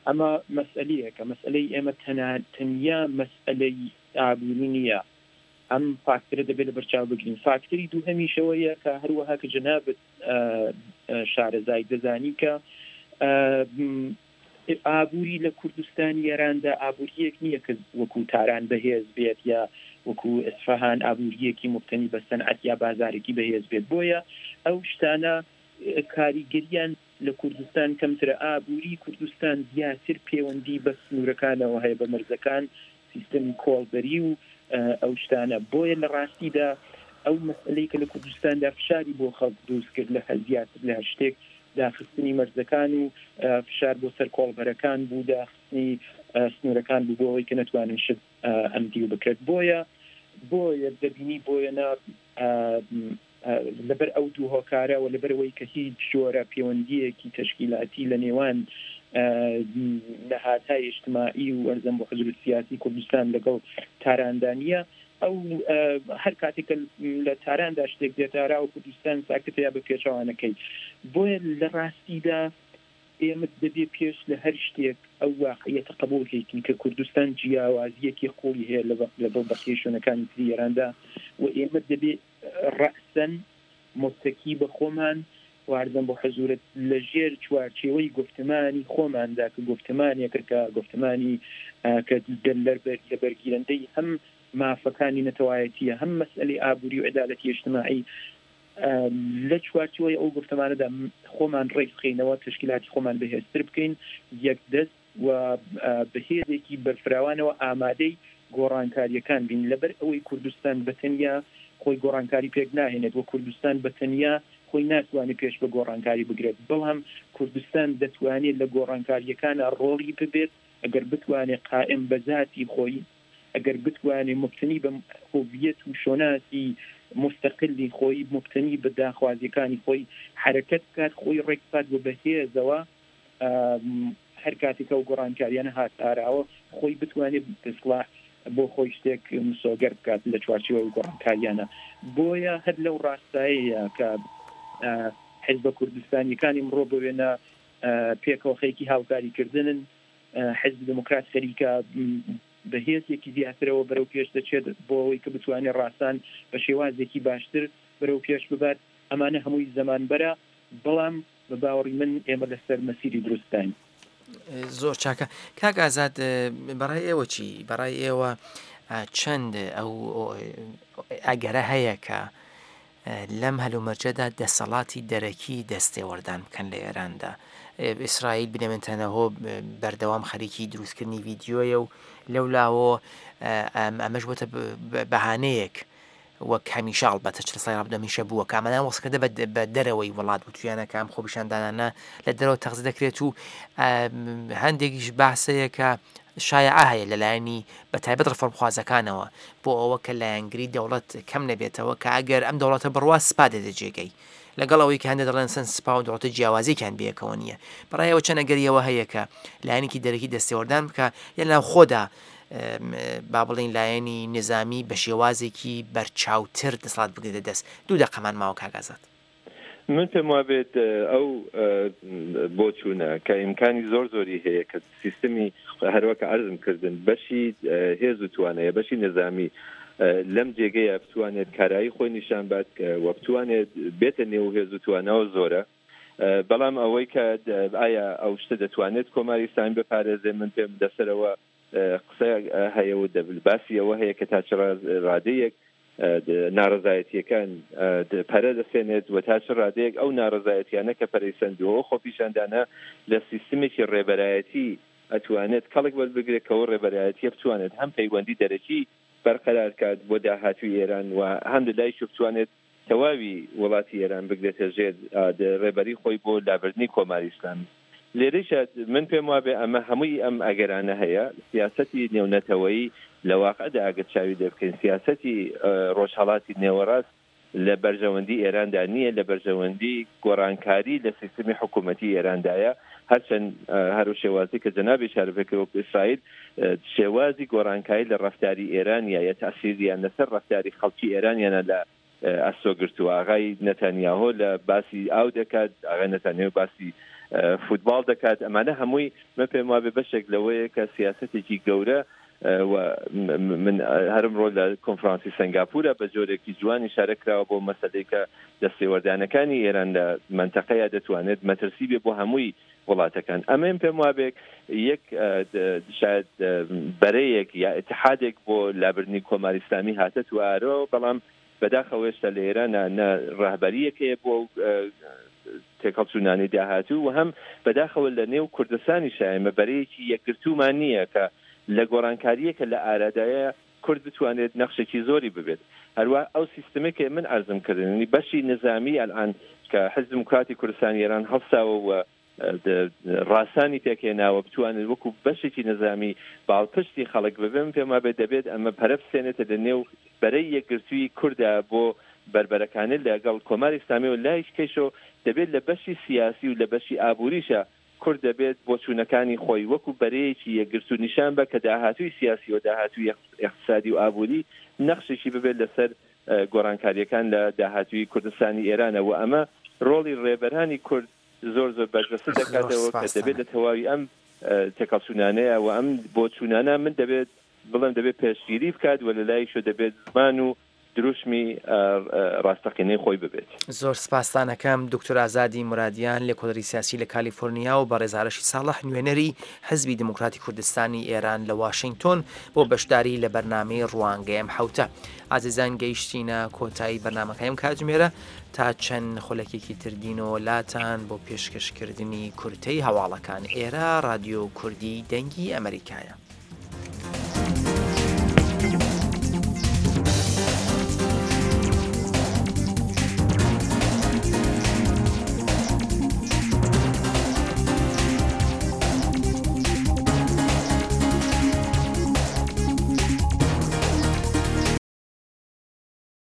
ئەمە مەسئەلەیەکە، مەسئەلەی ئێمە تەنیا مەسئەلەی ئابووری نییە. ئەم فاکتەرە دەبێت لەبەرچاو بگرین. فاکتەری دووهەمیش ئەوەیە کە هەروەها کە جەنابت شارەزای دەزانی کە ئابووری لە کوردستانی ئێراندا ئابوورییەک نییە کە وەکوو تاران بەهێز بێت یا وەکوو ئیسفەهان ئابوورییەکی موبتەنی بە سەنعەت یا بازارێکی بەهێز بێت. بۆیە ئەو شتانە کاریگەریان لە کوردستان کەمترە. ئابووری کوردستان زیاتر پێوەندی بە سنوورەکانەوە هەیە، بە مەرزەکان، سیستەمی کۆڵبەری و ئەو شتانە. بۆیە لە ڕاستیدا ئەو مەسئەلەی کە لە کوردستاندا فشاری بۆ خەڵک دروست کرد لە زیاتر لە هەر شتێک داخستنی مەرزەکان و فشار بۆ سەر کۆڵبەرەکان بوو، داخستنی سنوورەکان بوو بۆ ئەوەی کە نەتوانن شت ئەم دیو بکرێت. بۆیە بۆیە دەبینی بۆیە نا لەبەر ئەو دوو هۆکارە و لەبەرئەوەی کە هیچ جۆرە پێوەندییەکی تەشکیلاتی لە نێوان نەهادهای ئیجتماعی و ئەرزەم بۆ حزب سیاسی کوردستان لەگەڵ تاراندا نییە، ئەو هەر کاتێک کە لە تاراندا شتێک دێتە ئاراوە کوردستان ساکتە یا بە پێچەوانەکەی. بۆیە لە ڕاستیدا ئێمە دەبێ پێش لە هەر شتێک ئەو واقعیەتە قبوڵ کەین کە کوردستان جیاوازییەکی قووڵی هەیە لەگەڵ بەقیەی شوێنەکانی تری ئێراندا و ئێمە دەبێ ڕەئسەن متەکی بە خۆمان و عەرزم بۆ حزوورت لە ژێر چوارچێوەی گوفتمانی خۆماندا کە گوفتمانێکە کە گوفتمانی کە لە بەرگیرەندەی هەم مافەکانی نەتەوایەتییە هەم مەسئەلەی ئابووری و عەدالەتی ئیجتماعی لە چوارچێوەی ئەو گوفتمانەدا خۆمان ڕێک بخەینەوە، تەشکیلاتی خۆمان بەهێزتر بکەین، یەکدەست. و بە هێزێکی بەرفراوانەوە ئامادەی گۆڕانکارییەکان بین، لەبەر ئەوەی کوردستان بە تەنیا خۆی گۆڕانکاری پێک ناهێنێت و کوردستان بە تەنیا خۆی ناتوانێت پێش بە گۆڕانکاری بگرێت، بەڵام کوردستان دەتوانێت لە گۆڕانکارییەکانا ڕۆڵی ببێت ئەگەر بتوانێت قائیم بە زاتی خۆی، ئەگەر بتوانێت موبتەنی بە هۆڤیەت و شۆناسی موستەقلی خۆی، موبتەنی بە داخوازییەکانی خۆی حەرەکەت بکات، خۆی ڕێک بخات و بە هێزەوە هەر کاتێک ئەو گۆڕانکاریانە هات ئاراوە خۆی بتوانێت ئیسڵاح بۆ خۆی شتێک مسۆگەر بکات لە چوارچێوەی ئەو گۆڕانکاریانە. بۆیە هەر لەو ڕاستایەیە کە حیزبە کوردستانیەکان ئیمڕۆ بۆ وێنە پێکەوە خەریکی هاوکاریکردنن، حیزبی دێموکرات خەریکە بە هێزێکی زیاترەوە بەرەو پێش دەچێت بۆ ئەوەی کە بتوانێت ڕاسان بە شێوازێکی باشتر بەرەو پێش ببات. ئەمانە هەمووی زەمانبەرە، بەڵام بە باوەڕی من ئێمە لەسەر مەسیری دروستداین. زۆر چاکە کاک ئازاد بەڕای ئێوە چی؟ بەڕای ئێوە چەند ئەو ئەگەرە هەیە کە لەم هەلومەرجەدا دەسەڵاتی دەرەکی دەستێوەردان بکەن لە ئێراندا ئیسرائیل بنێمنتەنەهۆ بەردەوام خەریکی دروستکردنی ڤیددیۆیە و لەو لاوە ئەمەش بۆتە بەهانەیەک وەک هەمیشە ئەڵبەتە 40 ساڵی ڕابردوو هەمیشە بووە کە ئەمانیان وەسف کردە بە دەرەوەی وڵات وتویانە کە ئەم خۆپیشاندانانە لە دەرەوە تەغزی دەکرێت و هەندێکیش باسەیە کە شایعە هەیە لەلایەنی بە تایبەت ڕفۆرمخوازەکانەوە بۆ ئەوە کە لایەنگری دەوڵەت کەم نەبێتەوە کە ئەگەر ئەم دەوڵەتە بڕوا سپا دێتە جێگەی لەگەڵ ئەوەی کە هەندێک دەڵێن سن سپا و دەوڵەتە جیاوازیەکیان بەیەکەوە نییە بەڕایەوە چەند ئەگەریەوە هەیە کە لایەنێکی دەرەکی دەستێوەردان بکە یان ناوخۆدا با بڵێین لایەنی نیزامی بە شێوازێکی بەرچاوتر دەسەڵات بگرێتە دەست. دوو دەقەمان ماوە کاک ئازاد. من پێم وابێت ئەو بۆچوونە کە ئیمکانی زۆر زۆری هەیە کە سیستمی هەروەکە عەرزم کردن بەشی هێز و توانایە بەشی نظامی لەم جێگەیە بتوانێت کارایی خۆی نیشان بات و بتوانێت بێتە نێو هێز و تواناوە زۆرە بەڵام ئەوەی کە ئایا ئەو شتە دەتوانێت کۆماری ئیسلامی بپارێزێ من پێم لەسەرەوە قسە هەیە و باسی ئەوە هەیە کە تا چ ڕادەیەک ناڕەزایەتییەکان پەرە دەسێنێت و تا چ ڕادەیەک ئەو ناڕەزایەتیانە کە پەرەی سەندووە و خۆپیشاندانە لە سیستمێکی ڕێبەرایەتی ئەتوانێت کەڵک وەربگرێت کە ئەو ڕێبەرایەتییە بتوانێت هەم پەیوەندی دەرەکی بەرقەرار کات بۆ داهاتووی ئێران و هەم لە لایشەوە بتوانێت تەواوی وڵاتی ئێران بگرێتە ژێر ڕێبەری خۆی بۆ لابردنی کۆماری ئیسلامی. لێرەیشا من پێم وابێ ئەمە هەمووی ئەم ئەگەرانە هەیە. سیاسەتی نێونەتەوەیی لە واقعدا ئەگەر چاوی لێ بکەین سیاسەتی ڕۆژهەڵاتی نێوەڕاست لە بەرژەوەندی ئێراندا نییە، لە بەرژەوەندی گۆڕانکاری لە سیستمی حکوومەتی ئێراندایە. هەرچەند هەر و شێوازی کە جەنابی ئیشارە پێ کرد وەکوو ئیسرائیل شێوازی گۆڕانکاری لە ڕەفتاری ئێرانیا یا تەئسیریان لەسەر ڕەفتاری خەڵکی ئێرانیانە لە ئەستۆ گرتووە. ئاغای نەتانیاهۆ لە باسی ئاو دەکات، ئاغای نەتانیاهۆ باسی فوتباڵ دەکات، ئەمانە هەمووی من پێم وابێ بەشێک لەوەیە کە سیاسەتێکی گەورە و من هەرمڕۆ لە کۆنفرانسی سەنگاپورە بە جۆرێکی جوان ئیشارە کراوە بۆ مەسەلەی کە دەستێوەردانەکانی ئێران لە مەنتەقەیە دەتوانێت مەترسی بێ بۆ هەمووی وڵاتەکان. ئەمەیم پێم وابێ یەک شاید بەرەیەک یا ئیتحادێک بۆ لابردنی کۆماری ئیسلامی هاتە تو ئارۆ، بەڵام بەداخەوە هێشتا لە ئێرانە نە ڕەهبەرییەک هەیە بۆ ئەو تێکهەڵچوونانەی داهاتوو و هەم بەداخەوە لە نێو کوردستانیشا ئێمە بەرەیەکی یەکگرتوومان نییە کە لە گۆڕانکارییەکە لە ئارادایە کورد بتوانێت نەخشێکی زۆری ببێت. هەروا ئەو سیستمەی کە من عەرزم کردن یانی بەشی نزامی ئەلئان کە حیزب دموکراتی کوردستانی ئێران هەڵساوە و ڕاسانی پێکهێناوە بتوانێت وەکوو بەشێکی نزامی باڵپشتی خەڵک ببێ من پێم وابێت دەبێت ئەمە پەرە بسێنێتە لە نێو بەرەی یەکگرتووی کوردا بۆ بەربەرەکانێ لەگەڵ کۆماری ئیسلامی و لایشکەیشەوە دەبێت لە بەشی سیاسی و لە بەشی ئابووریشا کورد دەبێت بۆچوونەکانی خۆی وەکو بەرەیەکی یەکگرتوو نیشان بە کە داهاتووی سیاسی و داهاتووی ئیقتسادی و ئابووری نەخشێکی ببێت لەسەر گۆڕانکارییەکان لە داهاتووی کوردستانی ئێرانە و ئەمە ڕۆڵی ڕێبەرانی کورد زۆر زۆر بەرجەستە زۆر دەکاتەوە کە سپاستان دەبێت لە تەواوی ئەم تێکەڵچوونانەیە و ئەم بۆچوونانە من دەبێت بڵێم دەبێت پێشگیری بکات و لە لایەکیشەوە دەبێت زمان و. دروشمی ڕاستەقینەی خۆی ببێت. زۆر سپاستان ئەکەم دوکتور ئازادی مورادیان لێکۆڵەری سیاسی لە کالیفۆرنیا و بەڕێز ئارەشی ساڵح نوێنەری حزبی دێموکراتی کوردستانی ئێران لە واشینگتۆن بۆ بەشداری لە بەرنامەی ڕوانگەی ئەم حەوتە. ئازیزان گەیشتینە کۆتایی بەرنامەکەی ئەم کاتژمێرە تا چەند خولەکێکی تر دینەوە لاتان بۆ پێشکەشکردنی کورتەی هەواڵەکان ئێرە ڕادیۆ کوردی دەنگی ئەمەریکایە.